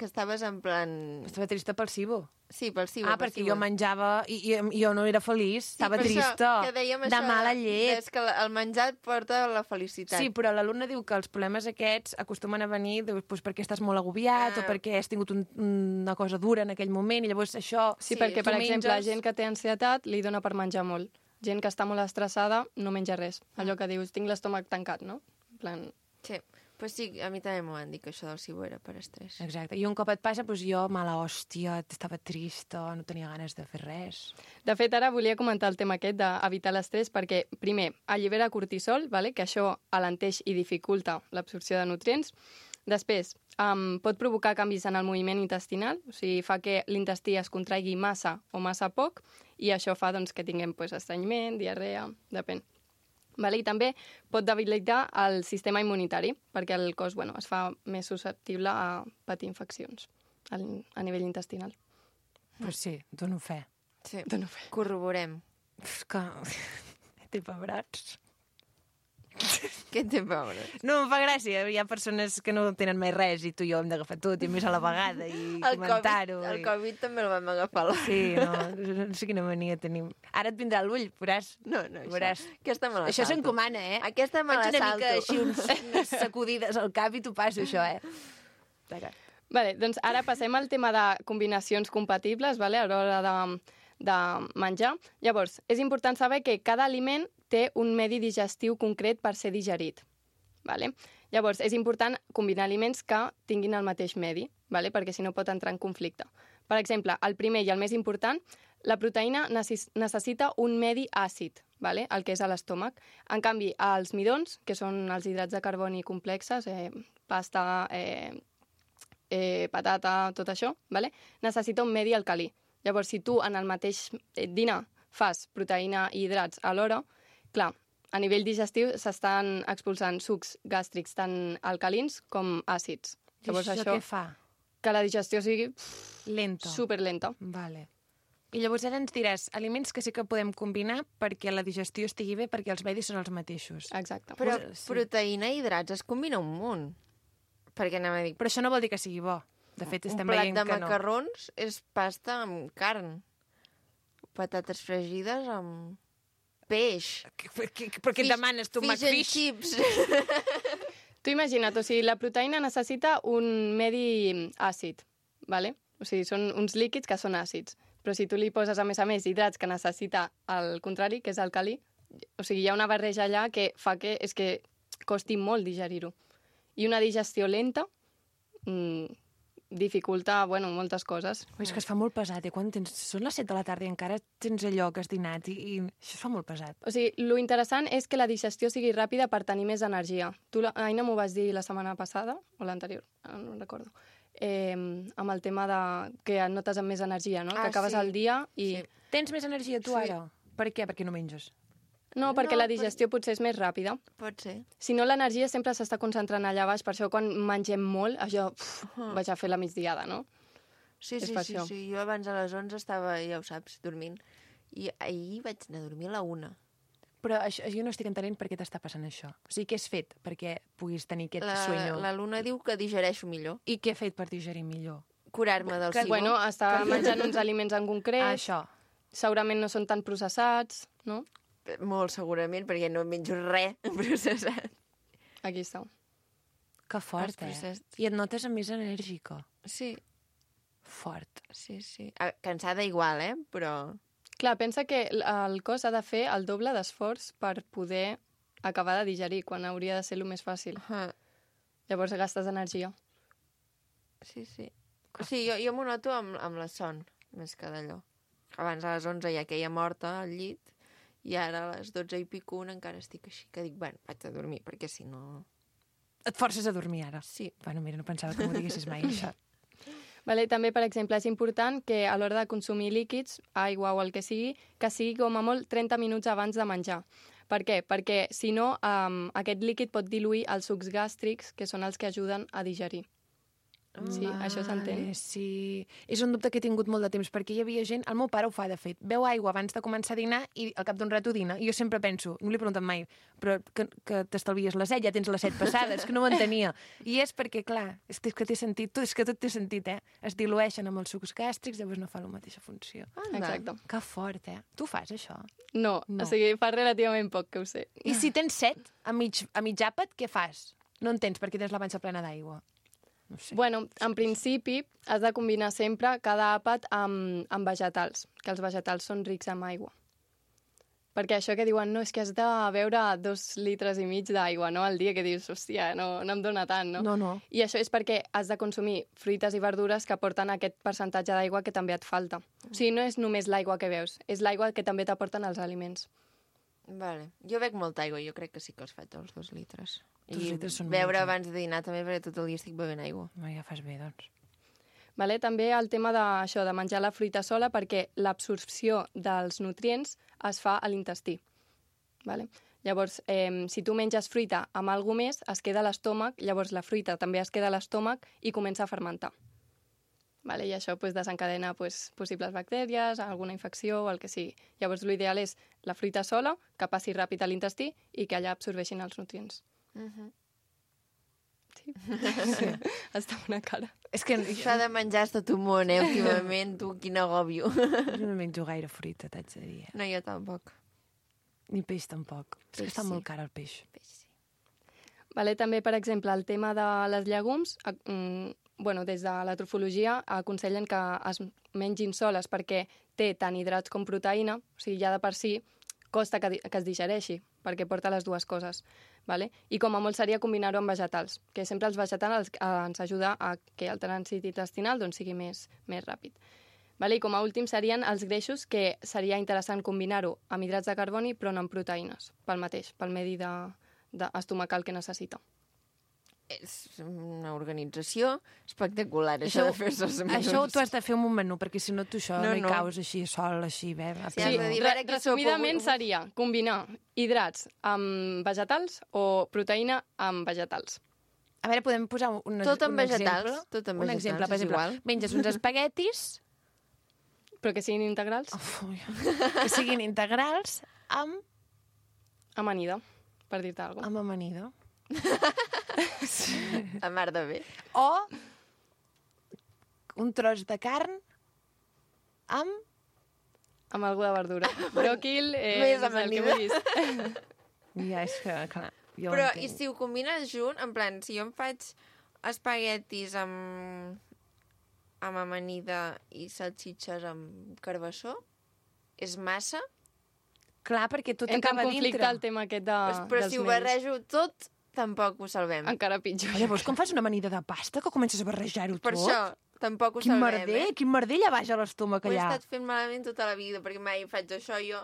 estaves en plan... Estava trista pel cibo. Sí, pel cibo. Ah, perquè jo menjava i jo no era feliç, estava trista, que dèiem de això, mala llet. És que el menjar et porta la felicitat. Sí, però l'alumne diu que els problemes aquests acostumen a venir doncs, perquè estàs molt agobiat o perquè has tingut una cosa dura en aquell moment i llavors això... Sí, Sí, perquè, tu per exemple, menges- gent que té ansietat li dona per menjar molt. Gent que està molt estressada no menja res. Allò que dius, tinc l'estómac tancat, no? En plan... Sí. Pues sí, a mi també m'ho van dir, que això del cibo era per estrès. Exacte. I un cop et passa, doncs jo, mala hòstia, estava trista, no tenia ganes de fer res. De fet, ara volia comentar el tema aquest d'evitar l'estrès perquè, primer, allibera cortisol, vale? Que això alenteix i dificulta l'absorció de nutrients. Després, pot provocar canvis en el moviment intestinal, o sigui, fa que l'intestí es contraigui massa o massa poc, i això fa doncs, que tinguem estrenyiment, diarrea, depèn. Vale? I també pot debilitar el sistema immunitari, perquè el cos es fa més susceptible a patir infeccions a nivell intestinal. Pues sí, dono fe. Sí, corroborem. És que... Té pebrots. Què té pobre? No, em fa gràcia. Hi ha persones que no tenen mai res i tu i jo hem d'agafar tot i més a la vegada i comentar-ho. El Covid també el vam agafar. Sí, no sé quina mania tenim. Ara et vindrà l'ull, veuràs. No, veuràs. Aquesta me la Això salto. s'encomana, eh? Aquesta me la Faig una salto. mica així, unes sacudides al cap i t'ho passo, això, D'acord. Vale, doncs ara passem al tema de combinacions compatibles, vale, a l'hora de menjar. Llavors, és important saber que cada aliment té un medi digestiu concret per ser digerit. Vale? Llavors, és important combinar aliments que tinguin el mateix medi, vale? Perquè si no pot entrar en conflicte. Per exemple, el primer i el més important, la proteïna necessita un medi àcid, vale? El que és a l'estómac. En canvi, els midons, que són els hidrats de carboni complexes, pasta, patata, tot això, vale? Necessita un medi alcalí. Llavors, si tu en el mateix dinar fas proteïna i hidrats alhora, clar, a nivell digestiu s'estan expulsant sucs gàstrics tant alcalins com àcids. Llavors, això què fa? Que la digestió sigui Lenta. superlenta. Vale. I llavors ara ens diràs aliments que sí que podem combinar perquè la digestió estigui bé, perquè els medis són els mateixos. Exacte. Però Sí. proteïna i hidrats es combina un munt. Perquè anem a dir, Però això no vol dir que sigui bo. De fet, un estem plat veient de que no. macarrons és pasta amb carn. Patates fregides amb peix. Però què et demanes, tu, Fish and McFish? chips. Tu imagina't, o sigui, la proteïna necessita un medi àcid, vale? O sigui, són uns líquids que són àcids. Però si tu li poses, a més, hidrats que necessita el contrari, que és alcalí, o sigui, hi ha una barreja allà que fa que és que costi molt digerir-ho. I una digestió lenta dificulta, moltes coses. És que es fa molt pesat, Quan són les 7 de la tarda i encara tens allò que has dinat i això es fa molt pesat. O sigui, lo interessant és que la digestió sigui ràpida per tenir més energia. Tu, Aina, m'ho vas dir la setmana passada, o l'anterior, no em recordo, amb el tema de que et notes amb més energia, no? Que acabes sí. el dia i... Sí. Tens més energia tu ara? Per què? Perquè no menges? No, perquè No, la digestió potser és més ràpida. Pot ser. Si no, l'energia sempre s'està concentrant allà baix, per això quan mengem molt, això, vaig a fer la migdiada, no? Sí, És sí, per sí, això. sí. Jo abans a les 11 estava, ja ho saps, dormint. I ahir vaig anar a dormir a la 1. Però això, jo no estic entenent per què t'està passant això. O sigui, què has fet perquè puguis tenir aquest sueño? La Luna diu que digereixo millor. I què he fet per digerir millor? Curar-me del cibo. Bueno, està menjant uns aliments en concret, Això. segurament no són tan processats, no? Molt segurament, perquè no menjo res processat. Aquí està. Que fort, Els processats. I et notes més enèrgica. Sí, Fort. sí, sí. Cansada igual, però... Clar, pensa que el cos ha de fer el doble d'esforç per poder acabar de digerir, quan hauria de ser el més fàcil. Llavors gastes energia. Sí, sí. Sí, jo m'ho noto amb la son, més que d'allò. Abans a les 11 ja queia morta al llit, i ara a les 12 i pico encara estic així, que dic, bueno, vaig a dormir, perquè si no... Et forces a dormir ara? Sí. Bueno, mira, no pensava que m'ho diguessis mai, això. Vale, també, per exemple, és important que a l'hora de consumir líquids, aigua o el que sigui com a molt 30 minuts abans de menjar. Per què? Perquè, si no, aquest líquid pot diluir els sucs gàstrics, que són els que ajuden a digerir. Sí, això s'entén. Sí, és un dubte que he tingut molt de temps, perquè hi havia gent, el meu pare ho fa, de fet, beu aigua abans de començar a dinar i al cap d'un rato dina. I jo sempre penso, no li he preguntat mai, però que t'estalvies la set, ja tens les 7 passades, que no ho entenia. I és perquè, clar, és que té sentit, és que tot té sentit, es dilueixen amb els sucs gàstrics, llavors no fa la mateixa funció. Exacte. Que fort, Tu fas això? No, No. o sigui, fa relativament poc que ho sé. I si tens set a mig àpat, què fas? No en tens perquè tens la panxa plena d'aigua. No sé. Bueno, en principi has de combinar sempre cada àpat amb vegetals, que els vegetals són rics en aigua. Perquè això que diuen, no, és que has de beure 2,5 litres d'aigua, no?, al dia, que dius, hòstia, no em dóna tant, no? No. I això és perquè has de consumir fruites i verdures que aporten aquest percentatge d'aigua que també et falta. O sigui, no és només l'aigua que beus, és l'aigua que també t'aporten els aliments. Vale. Jo bec molta aigua, jo crec que sí que els faig els 2 litres. 2 litres són beure molts, abans de dinar també, perquè tot el dia estic bevent aigua. Ja fas bé, doncs. Vale? També el tema de menjar la fruita sola, perquè l'absorció dels nutrients es fa a l'intestí. Vale? Llavors, si tu menges fruita amb alguna més, es queda a l'estómac, llavors la fruita també es queda a l'estómac i comença a fermentar. Vale? I això desencadena possibles bactèries, alguna infecció o el que sigui. Llavors, l'ideal és la fruita sola, que passi ràpid a l'intestí i que allà absorbeixin els nutrients. Sí. Està una cara. És que Això de menjar és tot un món, últimament, tu, quin agòbio. jo no menjo gaire fruita, t'haig de dir. No, jo tampoc. Ni peix tampoc. És que Peix està sí. molt car el peix. Vale? També, per exemple, el tema de les llegums, des de la trofologia aconsellen que es mengin soles perquè té tant hidrats com proteïna, o sigui, ja de per si costa que es digereixi, perquè porta les dues coses. Vale? I com a molt seria combinar-ho amb vegetals, que sempre els vegetals ens ajuda a que el trànsit intestinal sigui més ràpid. Vale? I com a últim serien els greixos, que seria interessant combinar-ho amb hidrats de carboni però no amb proteïnes, pel medi estomacal que necessita. És una organització espectacular, això de fer-se els menús. Això t'ho has de fer amb un menú, perquè si no tu això no hi No. caus així sol, així, bé. Sí, has de dir, a veure què sopa Resumidament avui. seria combinar hidrats amb vegetals o proteïna amb vegetals. A veure, podem posar un Tot amb un vegetals, exemple? tot amb un vegetals, exemple, per és exemple, igual. menges uns espaguetis Però que siguin integrals, que siguin integrals amb amanida, per dir-te alguna cosa. amb amanida. A mar de bé. O un tros de carn amb... Amb alguna verdura. Bròquil, Més no sé, el que amanida. vulguis. Ja, és que, clar, jo Però, ho entenc. i si ho combines junt, en plan, si jo em faig espaguetis amb amanida i salsitxes amb carbassó, és massa? Clar, perquè tot Entra en acaba conflicte dintre. el tema aquest Però dels si ho nens. barrejo tot, tampoc ho salvem. Encara pitjor. Llavors, com fas una amanida de pasta que comences a barrejar-ho Per tot? això, tampoc ho Quin salvem, merder, quin merder allà baix a l'estómac Ho he allà. estat fent malament tota la vida, perquè mai faig això jo.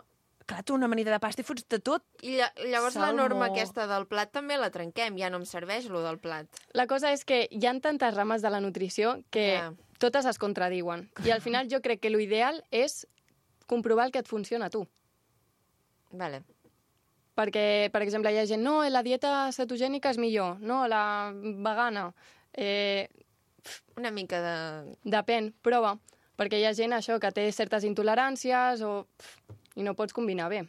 Clar, tu una amanida de pasta i fots de tot. I llavors la Salmó. norma aquesta del plat també la trenquem, ja no em serveix lo del plat. La cosa és que hi ha tantes rames de la nutrició que Ja. totes es contradiuen. I al final jo crec que l'ideal és comprovar el que et funciona a tu. Vale. Perquè, per exemple, hi ha gent, no, la dieta cetogènica és millor, no, la vegana. Una mica de... Depèn, prova. Perquè hi ha gent, això, que té certes intoleràncies i no pots combinar bé.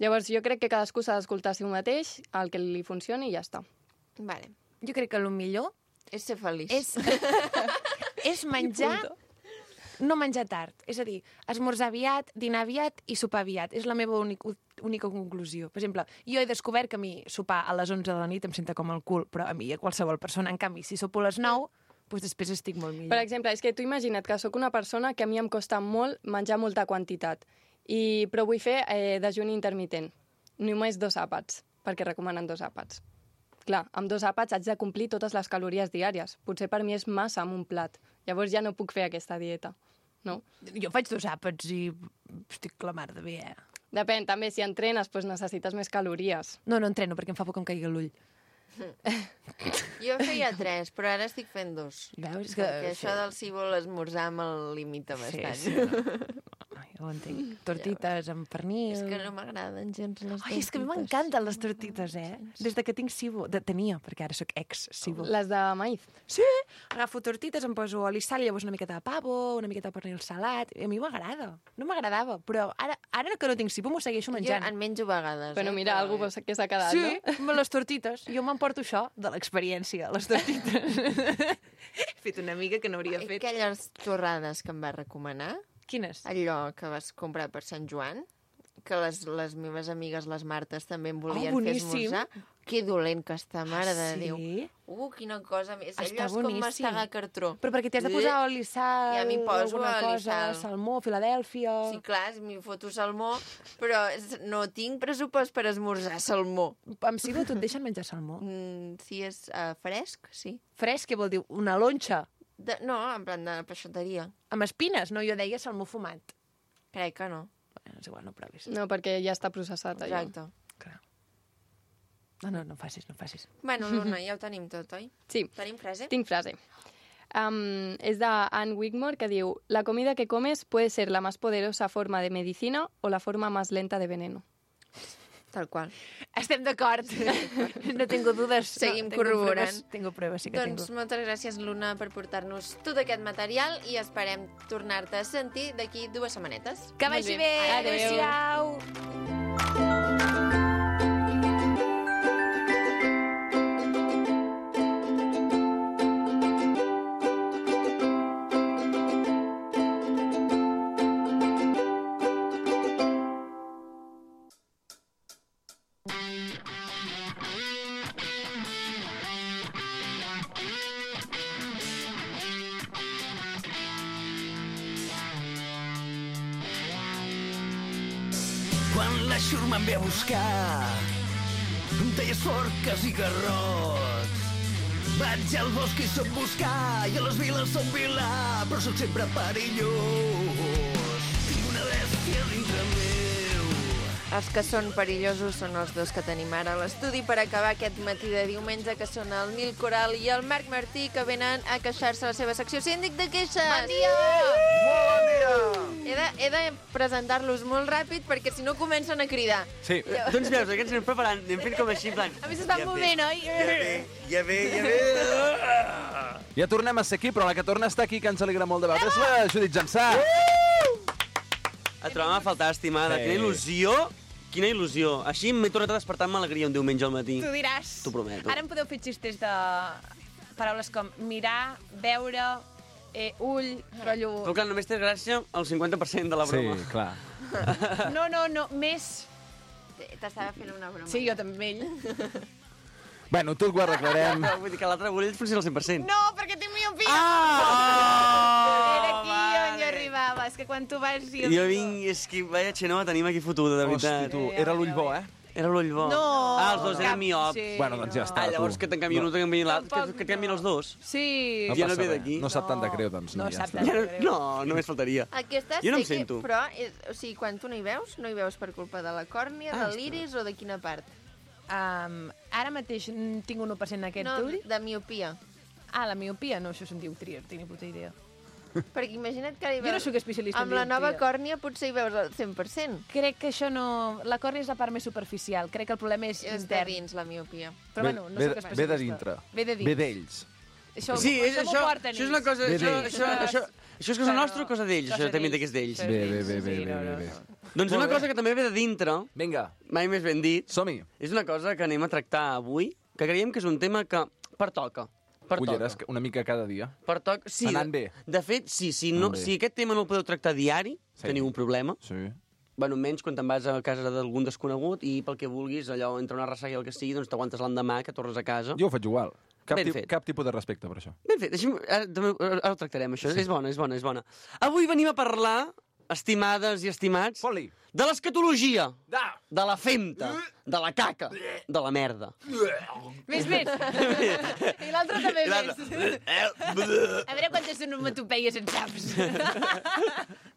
Llavors, jo crec que cadascú s'ha d'escoltar a si mateix, el que li funcioni i ja està. Vale. Jo crec que el millor És ser feliç. és menjar... No menjar tard. És a dir, esmorzar aviat, dinar aviat i sopar aviat. És la meva única conclusió. Per exemple, jo he descobert que a mi sopar a les 11 de la nit em senta com el cul, però a mi, a qualsevol persona, en canvi, si sopo a les 9, doncs després estic molt millor. Per exemple, és que tu imagina't que sóc una persona que a mi em costa molt menjar molta quantitat, però vull fer dejuni intermitent. Només 2 àpats, perquè recomanen 2 àpats. Clar, amb 2 àpats haig de complir totes les calories diàries. Potser per mi és massa amb un plat. Llavors ja no puc fer aquesta dieta, no? Jo faig 2 àpats i estic la mar de bé, Depèn, també, si entrenes, doncs necessites més calories. No entreno perquè em fa por que em caigui l'ull. Jo feia 3, però ara estic fent 2. Veus? Perquè això del cíbol esmorzar me'l limita bastant. Sí, no. Jo ho entenc. Tortites amb pernil... És que no m'agraden gens les tortites. Ai, és que a mi m'encanten les tortites, Des de que tinc cibo. Tenia, perquè ara sóc ex-cibo. Les de maïz. Sí, agafo tortites, em poso oli, sal, i llavors una miqueta de pavo, una miqueta de pernil salat... I a mi m'agrada. No m'agradava, però ara que no tinc cibo m'ho segueixo Jo menjant. en menjo a vegades. Bueno, mira, algú que s'ha quedat, Sí, no? amb les tortites. Jo m'emporto això de l'experiència, les tortites. He fet una amiga que no hauria fet. Aquelles torrades que em va recomanar, Quines? allò que vas comprar per Sant Joan, que les meves amigues, les Martes, també em volien fer boníssim. esmorzar. Que dolent que està, mare de sí? Déu. Quina cosa més. Està Allò és com boníssim. mastegar cartró. Però perquè t'hi has de posar oli, sal, I a mi poso alguna oli, cosa, sal. salmó, Filadèlfia... Sí, clar, m'hi foto salmó, però no tinc pressupost per esmorzar salmó. Amb Silva tu et deixen menjar salmó. Si és fresc, sí. Fresc, què vol dir? Una lonxa? No, en plan de peixateria. Amb espines? No, jo deia salmó fumat. Crec que no. Bueno, és igual, no provis. No, perquè ja està processat, allò. Exacte. Clar. No facis. Bueno, Luna, ja ho tenim tot, oi? Sí. Tenim frase? Tinc frase. Es de Anne Wigmore, que diu: la comida que comes puede ser la más poderosa forma de medicina o la forma más lenta de veneno. Tal qual. Estem d'acord. No tengo dudes. Seguim tengo corroborant. pruebas, tengo pruebas, sí que Doncs moltes gràcies, Luna, per portar-nos tot aquest material i esperem tornar-te a sentir d'aquí 2 setmanetes. Que Molt vagi bé. bé. Adéu. Adéu-siau. Quan la xurma em ve a buscar, em talles forques i garrots. Vaig al bosc i soc buscar, i a les viles soc vilà, però sóc sempre perillós. Tinc una bèstia dintre meu. Els que són perillosos són els 2 que tenim ara a l'estudi per acabar aquest matí de diumenge, que són el Nil Coral i el Marc Martí, que venen a queixar-se a la seva secció Síndic de Queixes. Bon dia! Molt bon dia! He de presentar-los molt ràpid perquè si no comencen a cridar. Sí. Doncs veus, que ens anem preparant, anem fent com així, en plan... A mi s'estan movent, oi? Ja ve. Ja tornem a ser aquí, però la que torna a estar aquí, que ens alegra molt de veure, és la Judit Jansà. Et trobem a faltar, estimada. Sí. Quina il·lusió. Així m'he tornat a despertar amb alegria un diumenge al matí. Tu diràs. T'ho prometo. Ara em podeu fer xistes de paraules com mirar, veure, ull, rotllo... Però clar, només tens gràcia al 50% de la broma. Sí, clar. No, més... T'estava fent una broma. Sí, jo també, ell. Bueno, tot ho arreglarem. Vull dir que l'altre bullell funciona al 100%. No, perquè tinc miopia! Era aquí on jo arribava. És que quan tu vas... Jo vinc, és que vaya xenoa tenim aquí fotuda, de veritat. Hosti, tu, era l'ull bo, eh? Era l'ull bo. No! Els dos eren miop. Sí, Bueno, doncs ja està, Llavors tu. que te'n canvien un, te'n canvien l'altre, Tampoc que et canvien els dos. Sí. Ja no passa ve res. d'aquí. No sap tant de greu, doncs. No ja sap està. tant. Ja no, només faltaria. Aquesta Jo no em sé que, sento. però, o sigui, quan tu no hi veus per culpa de la còrnia, de l'iris o de quina part? Ara mateix tinc un 1% en aquest No, ull. de miopia. Ah, la miopia? No, això se'n diu tria, no tinc ni puta idea. Perquè imagina't que hi Jo no sóc especialista en amb la nova dioptria. còrnia potser hi veus al 100%. Crec que això no... La còrnia és la part més superficial. Crec que el problema és És de intern. dins, la miopia. Però bueno, no soc especialista. Ve de dintre. Ve de dins. Ve d'ells. Això, Sí, això m'ho porten això és una cosa... Bé, Això, bé. això és cosa nostra o cosa d'ells? Això també que és d'ells. Bé. Doncs una cosa que també ve de dintre, Vinga, mai més ben dit, som-hi. és una cosa que anem a tractar avui, que creiem que és un tema que pertoca. Culleres una mica cada dia. Pertoca. Sí, Anant bé. De fet, sí, Anant bé. si aquest tema no el podeu tractar diari, Sí. teniu un problema. Sí. Bueno, menys quan te'n vas a casa d'algun desconegut i pel que vulguis, allò, entre una ressaca i el que sigui, doncs t'aguantes l'endemà, que tornes a casa. Jo ho faig igual. Ben fet. Cap tipus de respecte per això. Ben fet, ara ho tractarem, això. Sí. És bona. Avui venim a parlar, estimades i estimats, Fot-li. de l'escatologia, de la femta, de la caca, de la merda. Més. I l'altre també més. A veure quantes onomatopeies en saps.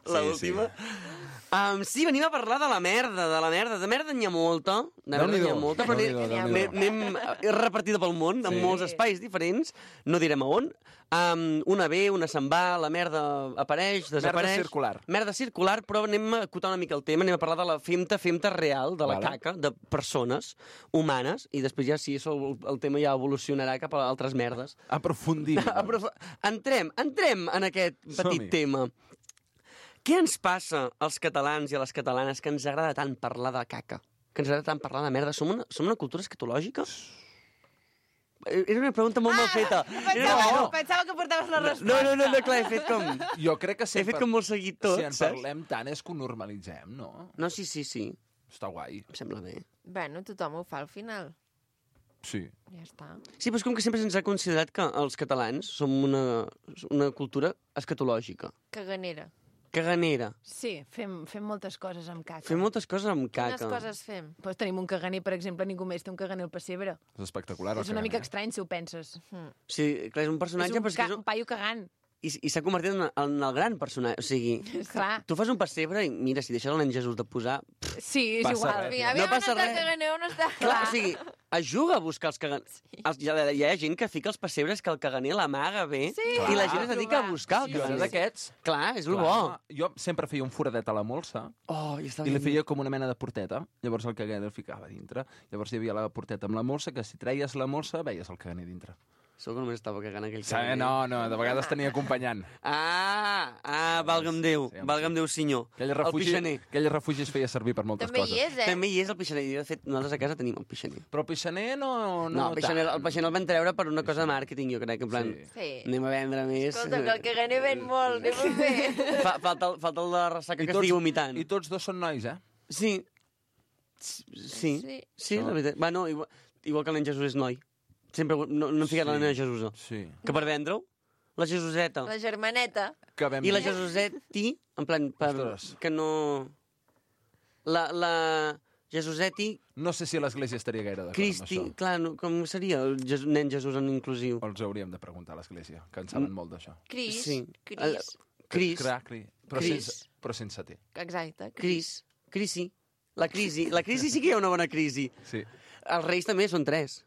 L'última. Sí, venim a parlar de la merda, De merda n'hi ha molta, però anem repartida pel món, en molts espais diferents, no direm a on. Una ve, una se'n va, la merda apareix, desapareix. Merda circular, però anem a acotar una mica el tema, anem a parlar de la femta real, de la caca, de persones humanes, i després ja sí, el tema ja evolucionarà cap a altres merdes. Aprofundim. Entrem en aquest petit tema. Què ens passa als catalans i a les catalanes que ens agrada tant parlar de caca? Que ens agrada tant parlar de merda? Som una cultura escatològica? Era una pregunta molt mal feta. Pensava que portaves la resposta. No, clar, he fet com... Jo crec que He fet com molt seguit tot, si en saps? parlem tant és que ho normalitzem, no? No, sí. Està guai. Em sembla bé. Bueno, tothom ho fa al final. Sí. Ja està. Sí, però és com que sempre se'ns ha considerat que els catalans som una cultura escatològica. Caganera. Caganera. Sí, fem moltes coses amb caca. Fem moltes coses amb caca. Quines coses fem? Pues tenim un caganer, per exemple, ningú més té un caganer al pessebre. És espectacular. És una mica estrany, si ho penses. Sí, clar, és un personatge... És un paio cagant. I s'ha convertit en el gran personatge. O sigui, Clar. tu fas un pessebre i mira, si deixes el nen Jesús de posar... Sí, és Passa igual. res. Aviam No on passa està res. caganer, on està... Clar, o sigui, ajuda a buscar els caganers. Hi ha gent que fica els pessebres que el caganer l'amaga bé i la gent es dedica a buscar el Jo era caganer. d'aquests. Clar, és el bo. Jo sempre feia un foradet a la molsa Oh, i i li feia com una mena de porteta. Llavors el caganer el ficava dintre. Llavors hi havia la porteta amb la molsa, que si treies la molsa veies el caganer dintre. Segur que només estava cagant aquell Sí, caganer. no, de vegades tenia acompanyant. Valga'm Déu. Sí, home, Valga'm Déu, senyor. Aquell El pixaner. refugi es feia servir per moltes També coses. hi és, eh? També hi és el pixaner. I, de fet, nosaltres a casa tenim el pixaner. Però el pixaner no No, el pixaner el van treure per una cosa de màrqueting, jo crec, en plan, Sí. anem a vendre més. Escolta, que el caganer ven molt, anem a fer. Falta el de la ressaca que estigui vomitant. I tots dos són nois, eh? Sí. Sí, Sí. la veritat. Va, no, igual que el nen Jesús és noi. Sempre no hem ficat la nena Jesús. Sí. Que per vendre-ho, la Jesuseta. La germaneta. Que vam I la dir. Jesuseti, en plan, Ostres. que no... La Jesuseti, No sé si l'església estaria gaire d'acord amb Cristi... això. Clar, no, com seria el nen Jesús en inclusiu? Els hauríem de preguntar a l'església, que en saben molt d'això. Cris. Sí. Cris. Cris. Però Cris. sense T. Exacte. Crisi. La crisi. La crisi sí que hi ha una bona crisi. Sí. Els reis també són 3.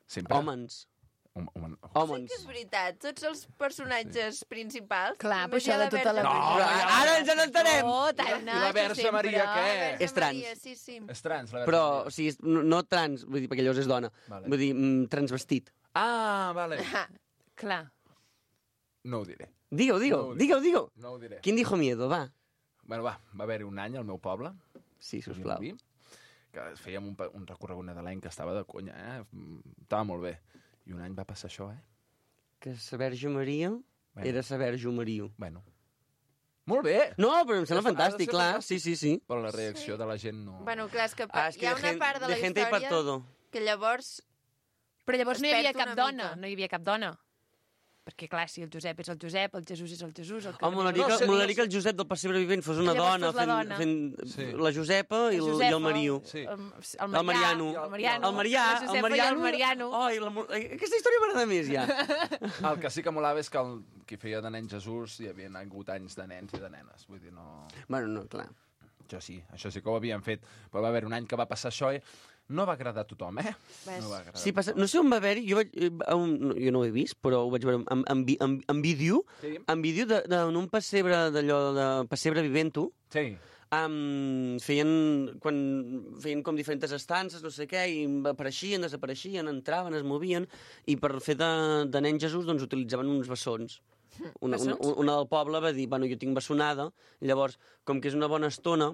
Sempre. Hòmens. Sí que és veritat, tots els personatges principals... Clar, només però això hi ha de tota la... Ara ens n'entenem! Oh, tan I la Verge Maria, què? És trans. Maria, sí, sí. És trans, la Verge Però, Maria. o sigui, no trans, vull dir, perquè llavors és dona. Vale. Vull dir, transvestit. Ah, vale. Clar. No ho diré. Digue-ho. No ho diré. Quin dijo miedo, va? Bueno, va haver-hi un any al meu poble, Sí, sisplau. que fèiem un recorregut nadalenc que estava de conya, Estava molt bé. I un any va passar això, Que sa Verge Maria era sa Verge Maria. Bueno. Molt bé! No, però em sembla Ha de fantàstic, ser clar. fantàstic. Sí. Però la reacció de la gent no... Bueno, clar, és que, És hi ha una part de la gente hay para història todo. que llavors... Però llavors no hi havia Es perd cap una dona. mica. No hi havia cap dona. Perquè, clar, si el Josep és el Josep, el Jesús és el Jesús... El Home, molaria que el Josep del pessebre vivent fos una Llavors dona, fos la dona. fent la Josepa i el Mariu. Sí. El Mariano. El Mariano. El Marià. La Josepa i el Mariano. Ai, aquesta història m'agrada més, ja. El que sí que molava és que qui feia de nen Jesús hi havia hagut anys de nens i de nenes. Vull dir, no... Bueno, no, clar. Això sí que ho havien fet. Però va haver un any que va passar això i no va agradar a tothom, No va agradar Sí, no sé on va haver-hi, jo no ho he vist, però ho vaig veure en vídeo, Sí. en vídeo d'un pessebre d'allò de pessebre vivent-ho, Sí. feien com diferents estances, no sé què, i apareixien, desapareixien, entraven, es movien, i per fer de nen Jesús doncs utilitzaven uns bessons. Una del poble va dir, bueno, jo tinc bessonada, i llavors, com que és una bona estona,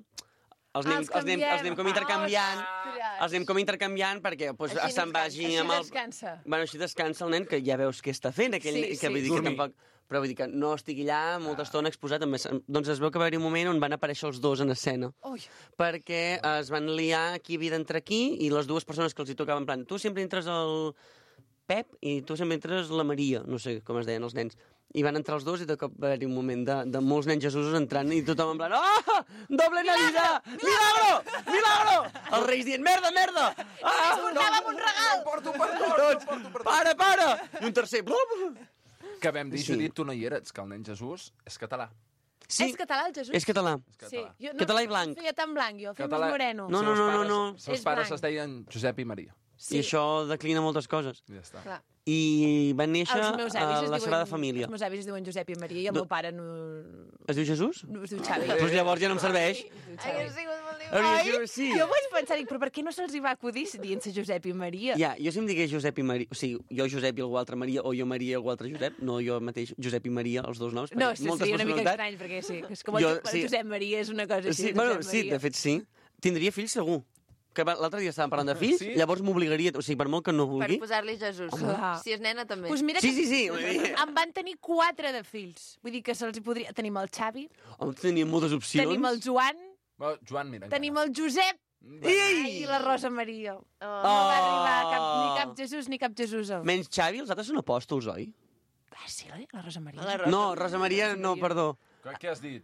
els anem com intercanviant, perquè pues, Així se'n vagi Així amb el... descansa. Bueno, així descansa el nen, que ja veus què està fent, aquell, Sí, que vull dir que Dormir. tampoc... Però vull dir que no estigui allà molta estona exposat. Doncs es veu que va haver-hi un moment on van aparèixer els dos en escena. Ui. Perquè es van liar qui havia d'entrar aquí i les dues persones que els hi tocaven, en plan, tu sempre entres el Pep i tu sempre entres la Maria, no sé com es deien els nens. I van entrar els dos i de cop va haver-hi un moment de molts nens Jesusos entrant i tothom en plan, oh, doble Navidad! Milagro! Els reis dient, merda! Portàvem un regal! Tots, para! I un tercer, Que vam dir, Sí. Judit, tu no hi eres, que el nen Jesús és català. Sí, És català, el Jesús? és català. Sí. Jo Català i blanc. Feia tan blanc, jo. Feia Català- més moreno. No. Els seus És pares blanc. es deien Josep i Maria. Sí. I això declina moltes coses. Ja està. Clar. I van néixer Els meus a avis la Sagrada Els Família. meus avis es diuen Josep i Maria i el meu pare no Es diu Jesús? es diu Xavi. Doncs llavors ja no em serveix. Hauria sigut molt Hauria divertit. sigut- Sí. Jo vaig pensar, dic, però per què no se'ls hi va acudir dient-se Josep i Maria? Ja, jo si em digués Josep i Maria, o sigui, jo Josep i algú altre Maria, o jo Maria i algú altre Josep, no jo mateix Josep i Maria, els dos noms, perquè No, moltes seria una mica personalitats. estrany, perquè sí, és com Jo- el sí. Josep Maria és una cosa així. Sí, de bueno, Josep sí, Maria. de fet sí. Tindria fills segur. que l'altre dia estàvem parlant de fills, Sí. llavors m'obligaria, o sigui, per molt que no Per vulgui... posar-li Jesús. Clar. Si és nena, també. Pues mira Sí, que sí, sí. Vull dir, em van tenir 4 de fills. Vull dir que se'ls hi podria... Tenim el Xavi, teníem moltes opcions. tenim el Joan, Joan, mira. tenim el Josep i la Rosa Maria. No va arribar ni cap Jesús ni cap Jesús. Menys Xavi, els altres són apòstols, oi? Ah, sí, la Rosa Maria. La Rosa. No, Rosa Maria, no, perdó. Què has dit?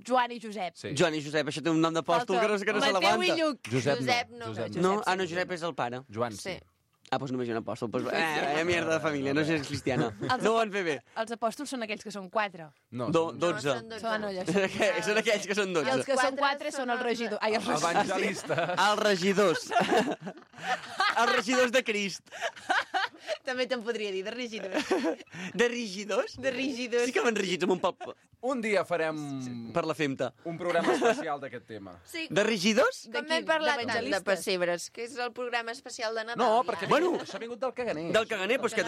Joan i Josep. Sí. Joan i Josep, això té un nom d'apòstol que no se Mateu i l'aguanta. Lluc. Josep no. No, no, Josep és el pare. Joan, sí. Sí. Ah, doncs només hi ha un apòstol. Pues, mierda de família, no sé si és cristiana. No ho van fer bé. Els apòstols són aquells que són 4. No, 12. Són allò. Són aquells que són I els 12. que són 4 són els regidors. Ai, els regidors. evangelistes. Els regidors. Els regidors de Crist. També te'n podria dir, de regidors. De regidors? De regidors. Sí que van regits amb un pop Un dia farem per la femta. un programa especial d'aquest tema. Sí, De regidors? com quin? hem parlat tant de D'evangelistes? pessebres, que és el programa especial de Nadal. No, perquè Bueno. això ha vingut del caganer. Del caganer, doncs que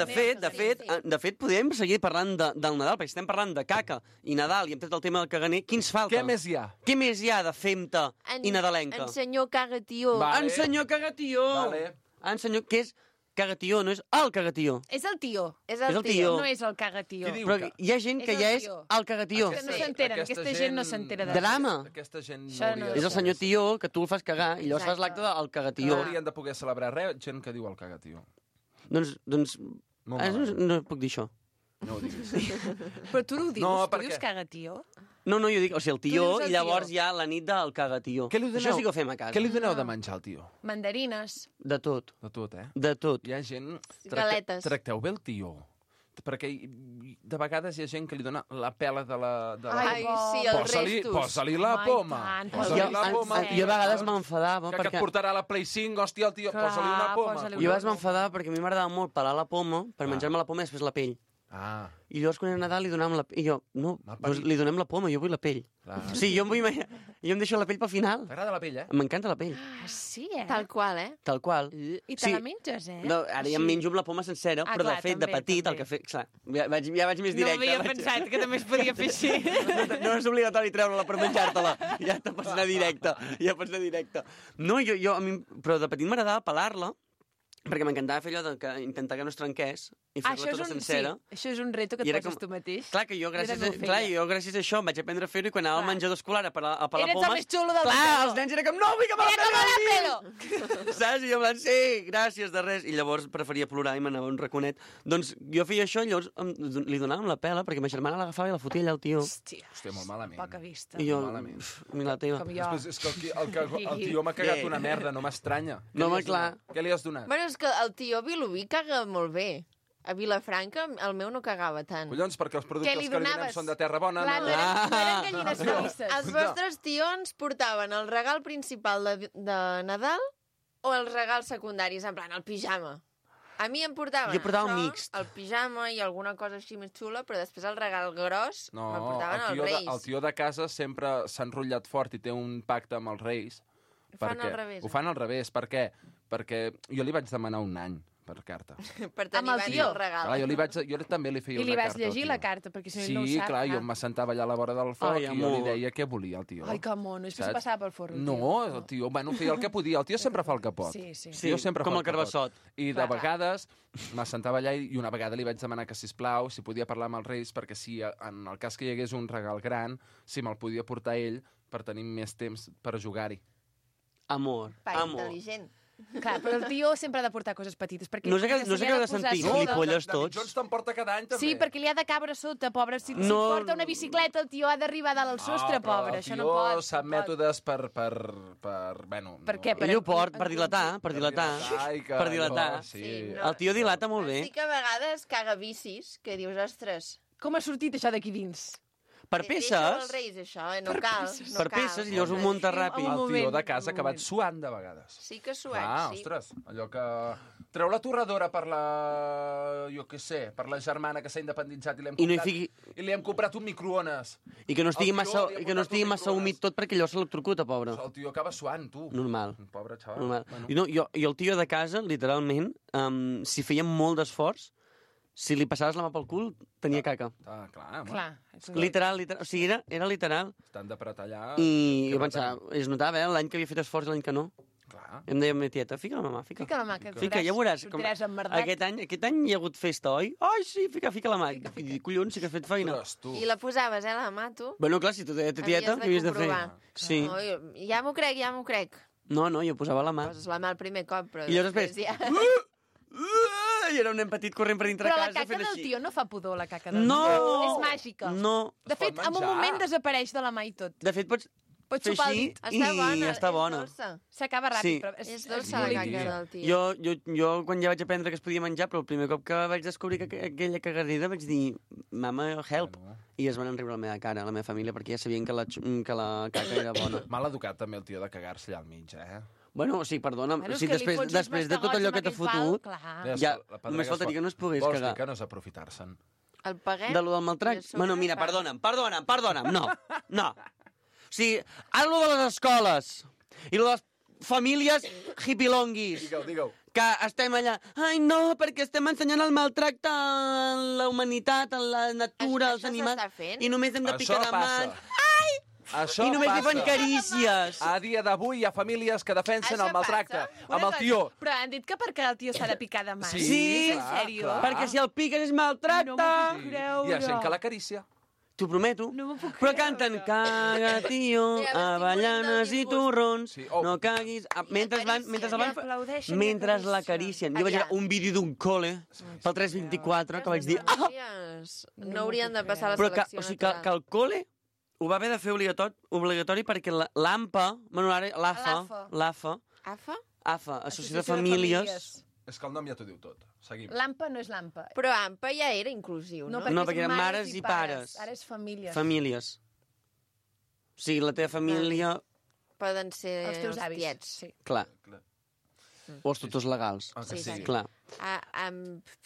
de fet podem seguir parlant del Nadal, perquè estem parlant de caca i Nadal i hem tret el tema del caganer. Quins falta? Què més hi ha? Què més hi ha de femta i nadalenca? En senyor cagatió. Va. Vale. En senyor cagatió! Vale. En senyor... Què és cagatió? No és el cagatió. És el tio. És És el tio. No és el cagatió. Qui diu Però que- hi ha gent que És el ja és tio. el cagatió. Que no Sí. s'enteren, aquesta gent no s'entera de Drama. Aquesta gent Això no no hauria És de el senyor tio que tu el fas cagar i llavors Exacte. fas l'acte del cagatió. No haurien de poder celebrar res, gent que diu el cagatio. Doncs Molt no, malament. no puc dir això. No ho diguis. Però tu ho dius, No, tu per dius què? cagatió? No, jo dic, o sigui, el Tu tió, dius el i llavors tió. hi ha la nit del cagatió. Què li doneu? Això sí que ho fem a casa. Què li doneu de menjar al tio? Mandarines. De tot, De tot, eh? de tot. Hi ha gent... Galetes. Tracteu bé el tio. Perquè de vegades hi ha gent que li dona la pela de la... Ai, sí, els restos. Posa-li la Ai, poma. tant, Posa-li Jo, la poma. jo a vegades m'enfadava Que et perquè... portarà la Play 5, hòstia, el tio, Clar, posa-li una poma. posa-li Jo a vegades m'enfadava perquè a mi m'agradava molt pelar la poma per menjar-me la poma i després la pell. Ah, I llavors quan era Nadal li donàvem la pell. I jo, no, Mal doncs parit. li donem la poma, jo vull la pell. clar. Sí, jo em deixo la pell pel final. T'agrada la pell, eh? M'encanta la pell, Ah, sí, eh? Tal qual, tal qual. I te la menges, eh? No, ara ja em menjo amb la poma sencera, Ah, però clar, de fet, de també, petit, també. el que fe... Clar, ja vaig més No directe. havia pensat que també es podia fer així. No és obligatori treure-la per menjar-te-la. Ja te pots anar directe. Ja pots anar directe. No, jo a mi... Però de petit m'agradava pelar-la, perquè m'encantava fer allò de intentar que no es trenqués i fer-la tota sencera. Sí, això és un reto que I et era poses tu mateix. Clar, que jo gràcies, a això em vaig aprendre a fer-ho i quan anava al Clar. menjador escolar a pelar Eres el pomes... més xulo del Clar, menjador. els nens era com, no, vull que me la Mira com peli la a pelo! mi! Saps? I jo en plan, sí, gràcies, de res. I llavors preferia plorar i m'anava a un raconet. Doncs jo feia això i llavors li donàvem la pela perquè ma germana l'agafava i la fotia allà al tio. Hòstia, Hòstia, molt malament. poca vista. I jo, malament. mira la teva. Com jo. Després és que el tio m'ha cagat una merda, no m'estranya. No, Què li home, has clar. donat? Què li has donat? Bueno, és que el tio Vilobí caga molt bé. A Vilafranca el meu no cagava tant. Collons, perquè els Què productes li que li donem donaves? són de terra bona. Clar, no? no eren gallines felices. Els vostres tions portaven el regal principal de Nadal o els regals secundaris, en plan, el pijama? A mi em portaven Jo portava això, un mixt. el pijama i alguna cosa així més xula, però després el regal gros No, me'l portaven els el Reis. tio de casa sempre s'ha enrotllat fort i té un pacte amb els Reis. Ho fan al revés, Ho fan al revés. Per què? Perquè jo li vaig demanar un any per carta. Per tenir Amb el abans tio. el regal. Clar, jo també li feia I li una vas carta al llegir tio. la carta, perquè si no Sí, ell no ho sap. clar, jo m'assentava allà a la vora del foc Ai, i jo li amor. deia què volia el tio. Ai, que mono, després Saps? passava pel forro. el No, tio. el tio, bueno, feia el que podia. El tio sempre fa el que pot. Sí, sí. Sí, Jo sempre com fa el Carbassot. I de Clar. vegades m'assentava allà i una vegada li vaig demanar que, sisplau, si podia parlar amb els Reis, perquè si en el cas que hi hagués un regal gran, si me'l podia portar ell per tenir més temps per jugar-hi. Amor, Pare amor. intel·ligent. Clar, però el tio sempre ha de portar coses petites. Perquè No sé què- se no sé li què ha ha de posar sentir, sota. gilipolles David tots. Jones te'n porta cada any, també. Sí, perquè li ha de cabre sota, pobre. Si No. porta una bicicleta, el tio ha d'arribar dalt al sostre, pobre. Això no pot. El tio sap no pot. mètodes bueno... Per què? Ell ho port per dilatar, per dilatar. i que Per dilatar. allò, Sí. Sí, El tio dilata molt bé. Sí que a vegades caga bicis, que dius, ostres... Com ha sortit això d'aquí dins? Per deixa-ho als peces, Reis, això, no cal. No per cal. peces, i llavors ho munta ràpid. Un El tio moment, de casa un que vaig moment. suant de vegades. Sí que suec, Ah, sí. ostres, allò que... Treu la torradora per la... jo què sé, per la germana que s'ha independitzat i I no hi fiqui- i li hem comprat un microones. I que no estigui El tio massa, li ha i que no portat estigui un massa microones. humit tot perquè allò se l'electrocuta, pobre. El tio acaba suant, tu. Normal. Un pobre xaval. Normal. Bueno. I no, i el tio de casa, literalment, si feia molt d'esforç, si li passaves la mà pel cul, tenia caca. Ah, clar, home. Clar. és un- Literal, literal. O sigui, era literal. Estan d'apretar allà... I que jo pensava, es notava, l'any que havia fet esforç i l'any que no. Clar. Clar. Em deia meva tieta, fica la mà, fica. Fica la mà, que Fica, ja veuràs. sortiràs emmerdat. Aquest any hi ha hagut festa, oi? Ai, sí, fica la mà. I dic, collons, sí que has fet feina. Ostres, tu. I la posaves, la mà, tu? Bueno, clar, si tu deia tieta, què havies de fer? comprovar. Sí. No, ja m'ho crec. No, jo posava la mà. Poses la mà el primer cop, però... I llavors després... Ja... I era un nen petit corrent per dintre Però la casa caca fent del així. tio no fa pudor, la caca del No! tio. És màgica. No. De fet, en un menjar. moment desapareix de la mà i tot. De fet, pots Pots fer xupar el així dit. i està bona. És dolça. S'acaba ràpid, Sí. però És dolça la caca del tio. Jo quan ja vaig aprendre que es podia menjar, però el primer cop que vaig descobrir que aquella cagarrida vaig dir, mama, help. I es van enriure la meva cara, la meva família, perquè ja sabien que la caca era bona. Mal educat també el tio de cagar-se allà al mig, Bueno, sí, perdona'm. Bueno, és Sí, que li fots uns després de tot allò que t'ha mastegots amb fotut, aquell pal, clar. ja, només faltaria que no es pogués Vols cagar. dir que no és aprofitar-se'n? El paguet... De lo del maltracte? Bueno, mira, perdona'm. No. O sigui, ara lo de les escoles i lo de les famílies hippilonguis. Digue-ho. Que estem allà, ai no, perquè estem ensenyant el maltracte a la humanitat, a la natura, als animals, i només hem de picar de mans. Això I només li passa. fan carícies. A dia d'avui hi ha famílies que defensen Això el maltracte amb el tio. Però han dit que perquè el tio s'ha de picar de mans. Sí, en sèrio? perquè si el piques és maltracte. No m'ho puc creure. Hi ha gent que l'acaricia. T'ho prometo. No m'ho puc Però creure. canten caga, tio, avellanes i torrons, no caguis... Mentre l'acaricien. Jo vaig veure un vídeo d'un col·le pel 324 que vaig dir... No haurien de passar la Però que, selecció o sigui, que el col·le ho va haver de fer obligatori perquè l'AMPA, bueno, l'AFA, Associació de Famílies... És que el nom ja t'ho diu tot. Seguim. L'AMPA no és l'AMPA. Però AMPA ja era inclusiu, no? No, perquè eren mares i pares. Ara és famílies. Famílies. O sigui, la teva família... Poden ser Els teus avis. tiets. Sí. Clar. O els tutors legals. Ah, que sí. Clar.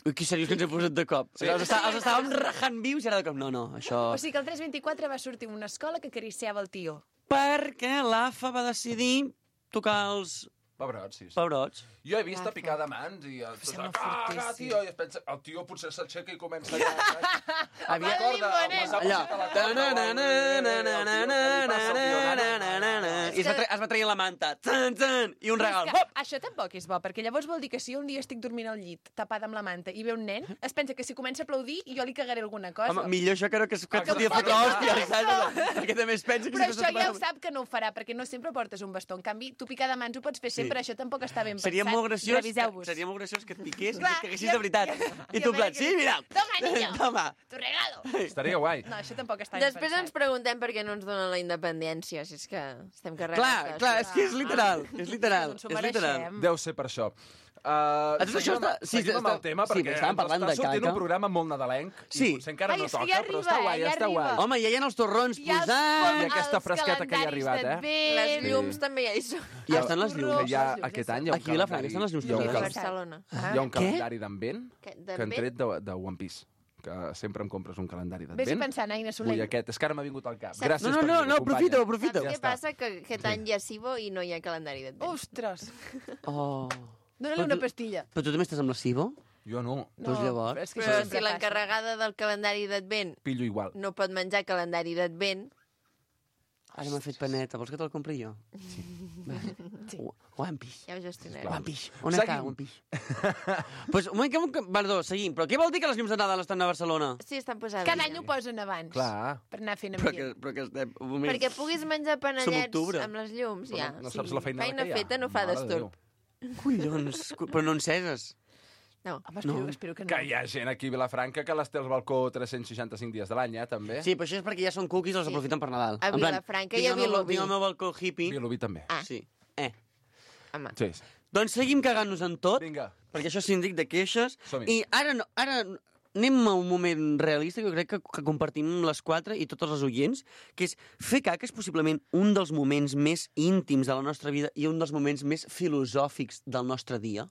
Ui, que seriós que ens hem posat de cop. Sí. Els estàvem rajant vius i ara de cop. No, això... O sigui que el 324 va sortir una escola que acariciava el tio. Perquè l'AFA va decidir tocar els Pebrots, sí. pebrots. Jo he vist a picar de mans i el caga, tio, i es pensa, el tio potser s'aixeca i comença allà. Havia corda, allà. I es va traient la manta. I un regal. Però és que això tampoc és bo, perquè llavors vol dir que si un dia estic dormint al llit, tapada amb la manta, i ve un nen, es pensa que si comença a aplaudir jo li cagaré alguna cosa. Home, millor això que no que et fotia fotre hòstia, saps? Perquè també es pensa que... Però això ja ho sap que no ho farà, perquè no sempre portes un bastó. En canvi, tu picar de mans ho pots fer sempre, això tampoc està ben pensat. Seria molt graciós que et piqués i que et caguessis de veritat. I tu en plan, sí, mira. Toma, niño. Toma. Tu regalo. Estaria guai. No, això tampoc està ben Després pensat. ens preguntem per què no ens donen la independència, si és que estem carregats. Clar, és que és literal. És literal. Ens ho mereixem. Deu ser per això. Tot això està... Seguim amb el tema, sí, perquè estàvem parlant ens de està sortint caca. un programa molt nadalenc, Sí. i potser encara Ai, no és que toca, ja però arriba, està guai, ja està guai. arriba. Home, ja hi ha els torrons I els posats. I aquesta fresqueta que hi ha arribat, Les llums també ja hi són. Ja estan les Que llums. hi ha, aquest any hi ha un Aquí a Vilafranca estan les llums hi ha un posades. A cal- Barcelona. hi ha un calendari d'advent De que han tret de One Piece, que sempre em compres un calendari Vés d'advent. pensant, Aina Vull Soler. aquest, és que ara m'ha vingut al cap. Saps- Gràcies No, per dir-ho, companya. aprofita. Saps què passa? Que aquest any hi ha Cibo i no hi ha calendari d'advent. Ostres, Oh. dóna-li una pastilla. Però tu també estàs amb la Cibo? Jo no, Doncs llavors... però és que Però això si sempre passa. l'encarregada del calendari d'advent pillo igual. no pot menjar calendari d'advent, Ara m'ha fet paneta. Vols que te'l compri jo? Sí. One Piece. ja ho gestionarem. One Piece. On Seguim. està One Piece? Pues, un moment, perdó, seguim. Però què vol dir que les llums de Nadal estan a Barcelona? Sí, estan posades. Cada any ho posen abans. Clar. Per anar fent Però ambient. que estem... Un moment. Perquè puguis menjar panellets octubre. amb les llums, Però ja. no saps la feinada Feina que hi ha. feta no fa Mare de d'estorb. Collons, però no enceses. No. Home, espero que no. Que hi ha gent aquí a Vilafranca que les té al balcó 365 dies de l'any, també. Sí, però això és perquè ja són cookies i els aprofiten per Nadal. A En plan, Vilafranca tinc i a el meu- Vilobí. Tinc el meu balcó hippie. Vilobí també. Ah. Sí. Home. Sí. Doncs seguim cagant-nos en tot, Vinga. perquè això és síndic de queixes. Som-hi. I ara anem a un moment realista que jo crec que compartim les quatre i tots els oients, que és fer caca és possiblement un dels moments més íntims de la nostra vida i un dels moments més filosòfics del nostre dia.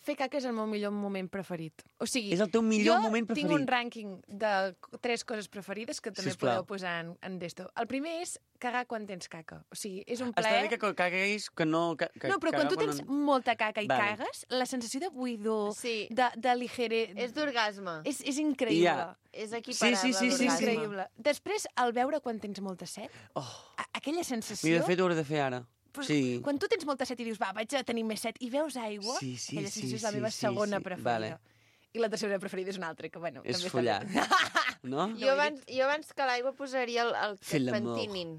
Fer caca és el meu millor moment preferit. O sigui, És el teu millor moment jo tinc preferit. un rànquing de 3 coses preferides que també Sisplau. podeu posar en d'esto. El primer és cagar quan tens caca. O sigui, és un Està plaer... bé que cagueis, que no... Que No, però quan tu cagar tens molta caca i Vale. cagues, la sensació de buidor, Sí. de ligere... És d'orgasme. És increïble. Ja. És equiparable Sí, És l'orgasme. increïble. Després, el veure quan tens molta set, aquella sensació... Mira, de fet, ho hauré de fer ara. Però Sí. Quan tu tens molta set i dius, va, vaig a tenir més set, i veus aigua, Sí, sí, aquella sí, sensació és la sí, meva sí, segona sí. preferida. I la tercera preferida és una altra, que bueno... És també està follar. bé. No? Jo abans que l'aigua posaria el que Fer et l'amor. pentinin.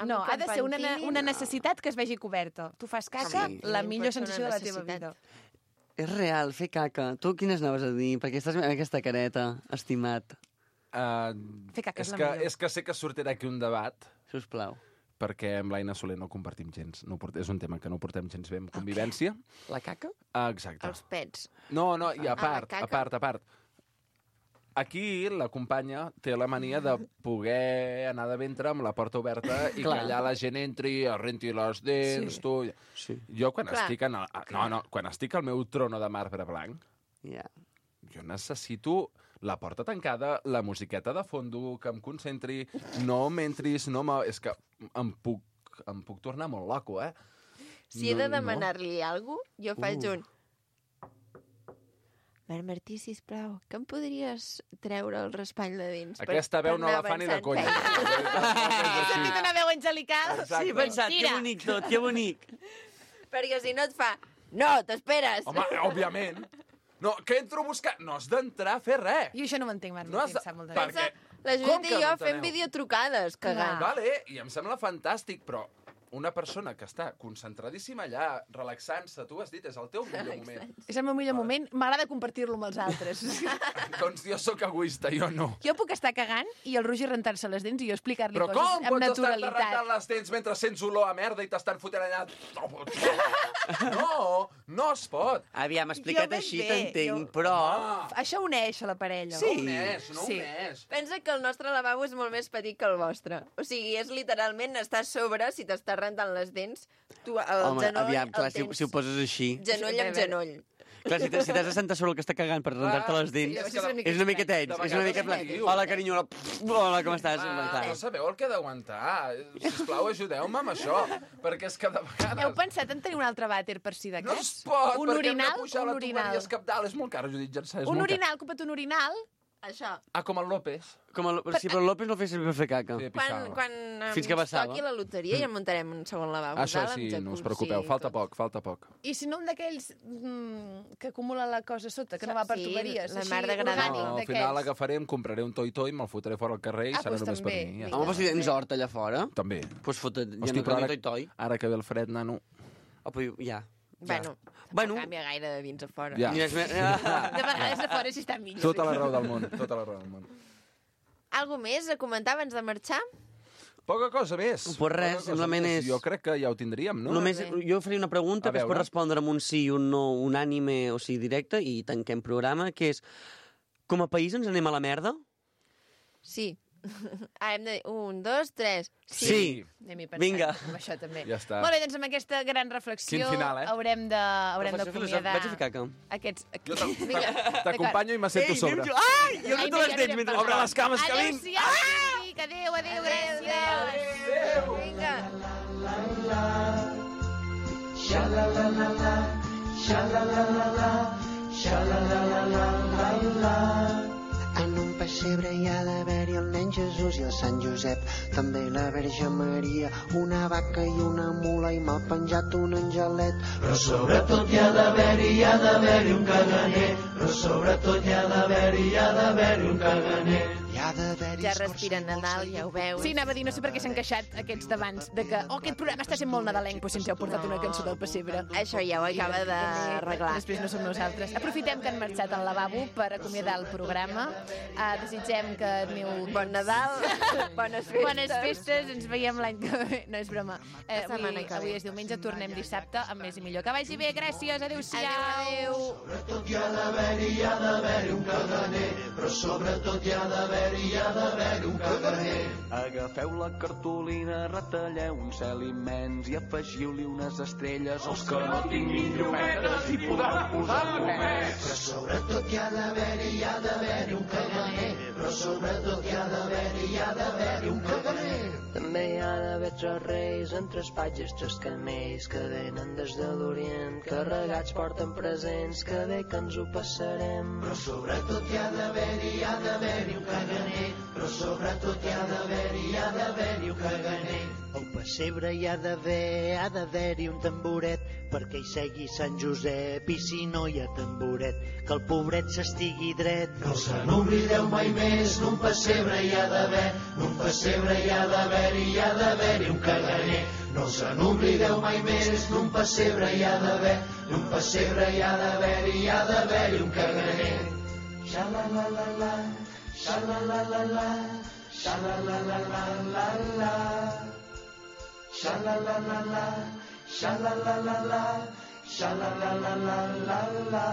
No, ha de ser una pentinin, necessitat que es vegi coberta. Tu fas caca, Sí. la Sí, millor pot ser una sensació de la teva necessitat. vida. És real, fer caca. Tu quines anaves a dir? Perquè estàs amb aquesta careta, estimat. Fer caca és la que, millor. és que sé que sortirà aquí un debat, Sisplau. perquè amb l'Aina Soler no compartim gens. És un tema que no portem gens bé amb convivència. La caca? Exacte. Els pets. No, i a la part, caca? Aquí la companya té la mania de poder anar de ventre amb la porta oberta i Clar. que allà la gent entri, es renti les dents, Sí. tu... Sí. Jo quan Clar. estic quan estic al meu trono de marbre blanc, Ja. jo necessito la porta tancada, la musiqueta de fondo, que em concentri, no m'entris, és que em puc tornar molt loco, eh? Si he de demanar-li alguna cosa, jo faig un... Martí, sisplau, que em podries treure el raspall de dins? Aquesta veu no la fa ni de conya. He sentit una veu angelical. Exacte. Sí, he pensat, que Mentira. bonic tot, que bonic. Perquè si no et fa... No, t'esperes! Home, òbviament. No, que entro a buscar... No has d'entrar a fer res. Jo això no m'entenc, Martí, No has de- em sap molt de Per greu. què? La Com Judit que i jo no fem enteneu? videotrucades, cagant. Vale, i em sembla fantàstic, però una persona que està concentradíssima allà, relaxant-se, tu has dit, és el teu millor moment. És el meu millor moment. M'agrada compartir-lo amb els altres. Doncs jo sóc egoista, jo no. Jo puc estar cagant i el Roger rentar-se les dents i jo explicar-li Però coses com amb pots estar naturalitat. rentant les dents mentre sents olor a merda i t'estan fotent allà? No es pot. Aviam, explicat veig així bé, t'entenc, jo- però... Això uneix a la parella. Sí. No Sí. més. Pensa que el nostre lavabo és molt més petit que el vostre. O sigui, és literalment estar a sobre, si t'estàs rentant les dents, tu el Home, genoll aviam, clar, el tens si ho poses així... genoll amb genoll. Clar, si t'has de sentar sobre el que està cagant per rentar-te les dents, sí, és una mica tens, és una mica... Hola, carinyo, hola, com estàs? No sabeu el que he d'aguantar. Sisplau, ajudeu-me amb això, perquè és que de vegades... Heu pensat en tenir un altre vàter per si de No cas? es pot, un perquè hem de orinal, pujar un la orinal. tuberia escapdalt. És molt car, Judit Jansà, és Un molt car. orinal, compra't un orinal. Això. Ah, com el López. Sí, però el López no el feia servir per fer caca. Sí, Quan, pixava. quan Fins que ens vessava. toqui la loteria ja muntarem un segon lavabo. Això dalt, sí, amb no us jacuzzi preocupeu, i falta tot. poc. I si no un d'aquells que acumula la cosa sota, que no va per Sí, tuberies. la així, mar de granada. orgànic, No, al d'aquells. final agafaré, em compraré un toi-toi, me'l fotré fora al carrer i Ah, serà doncs només per també. mi. Ja. Home, però si tens hort allà fora, També. doncs fota't, ja Hosti, no però cal ara, ni toi-toi. ara que ve el fred, nano... Oh, però ja. Bueno, Bueno. no canvia gaire de dins a fora. Ja. Ni res més. De vegades a fora sí està millor. Tota la raó del món, tota la raó del món. Algo més a comentar abans de marxar? Poca cosa més. Pues res, Poca cosa simplement més. és- Jo crec que ja ho tindríem, no? Només, jo faria una pregunta A que es pot veure. respondre amb un sí i un no, un ànime, o sigui, directe, i tanquem programa, que és, com a país ens anem a la merda? Sí. Ara hem de dir 1, 2, 3. Sí. Anem-hi pensant Vinga. amb això també. Ja està. Molt bé, doncs amb aquesta gran reflexió Quin final, eh? haurem d'acomiadar Vaig a fer caca. aquests... Jo Vinga, t'acompanyo i m'assento a sobre. Ai, jo noto les dents mentre... Obre les cames, que vinc! Adéu-siau, Enric, adéu, gràcies. Vinga. En un pessebre hi ha d'haver-hi el nen Jesús i el Sant Josep, també la Verge Maria, una vaca i una mula i mal penjat un angelet. Però sobretot hi ha d'haver-hi un caganer. Però sobretot hi ha d'haver-hi un caganer. Hi ha d'haver-hi Ja respira Nadal, ja ho veus. Sí, anava a dir, no sé per què s'han queixat aquests d'abans, de que, aquest programa està sent molt nadalenc, però si ens heu portat una cançó del pessebre. Això ja ho acaba d'arreglar. Després no som nosaltres. Aprofitem que han marxat al lavabo per acomiadar el programa. Desitgem que aneu... Bon Nadal, bones festes. Bones festes, ens veiem l'any que ve. No, és broma. La setmana que ve. Avui és diumenge, tornem dissabte amb més i millor. Que vagi bé, gràcies, adéu-siau. Adéu. Sobretot hi ha d'haver-hi un caganer. Però sobretot hi ha d'haver-hi un caganer. Agafeu la cartolina, retalleu un cel immens i afegiu-li unes estrelles als que no tinguin llumetes i podran posar només. Però sobretot hi ha d'haver-hi un caganer. Però sobretot hi ha d'haver-hi un caganer. També hi ha d'haver tres reis en tres patges, tres camells que venen des de l'Orient, carregats porten presents, que bé que ens ho passarem. Però sobretot hi ha d'haver-hi un caganer. Però sobretot hi ha d'haver-hi un caganer. Al pessebre hi ha d'haver-hi un tamboret perquè hi segui Sant Josep i si no hi ha tamboret que el pobret s'estigui dret. No se n'oblideu mai més, n'un pessebre hi ha d'haver, n'un pessebre hi ha d'haver-hi un caganer. No se n'oblideu mai més, n'un pessebre hi ha d'haver, n'un pessebre hi ha d'haver-hi un caganer. Xa-la-la-la-la, xa-la-la-la-la, xa-la-la-la-la-la-la. Sha-la-la-la-la, sha-la-la-la-la, sha-la-la-la-la-la-la.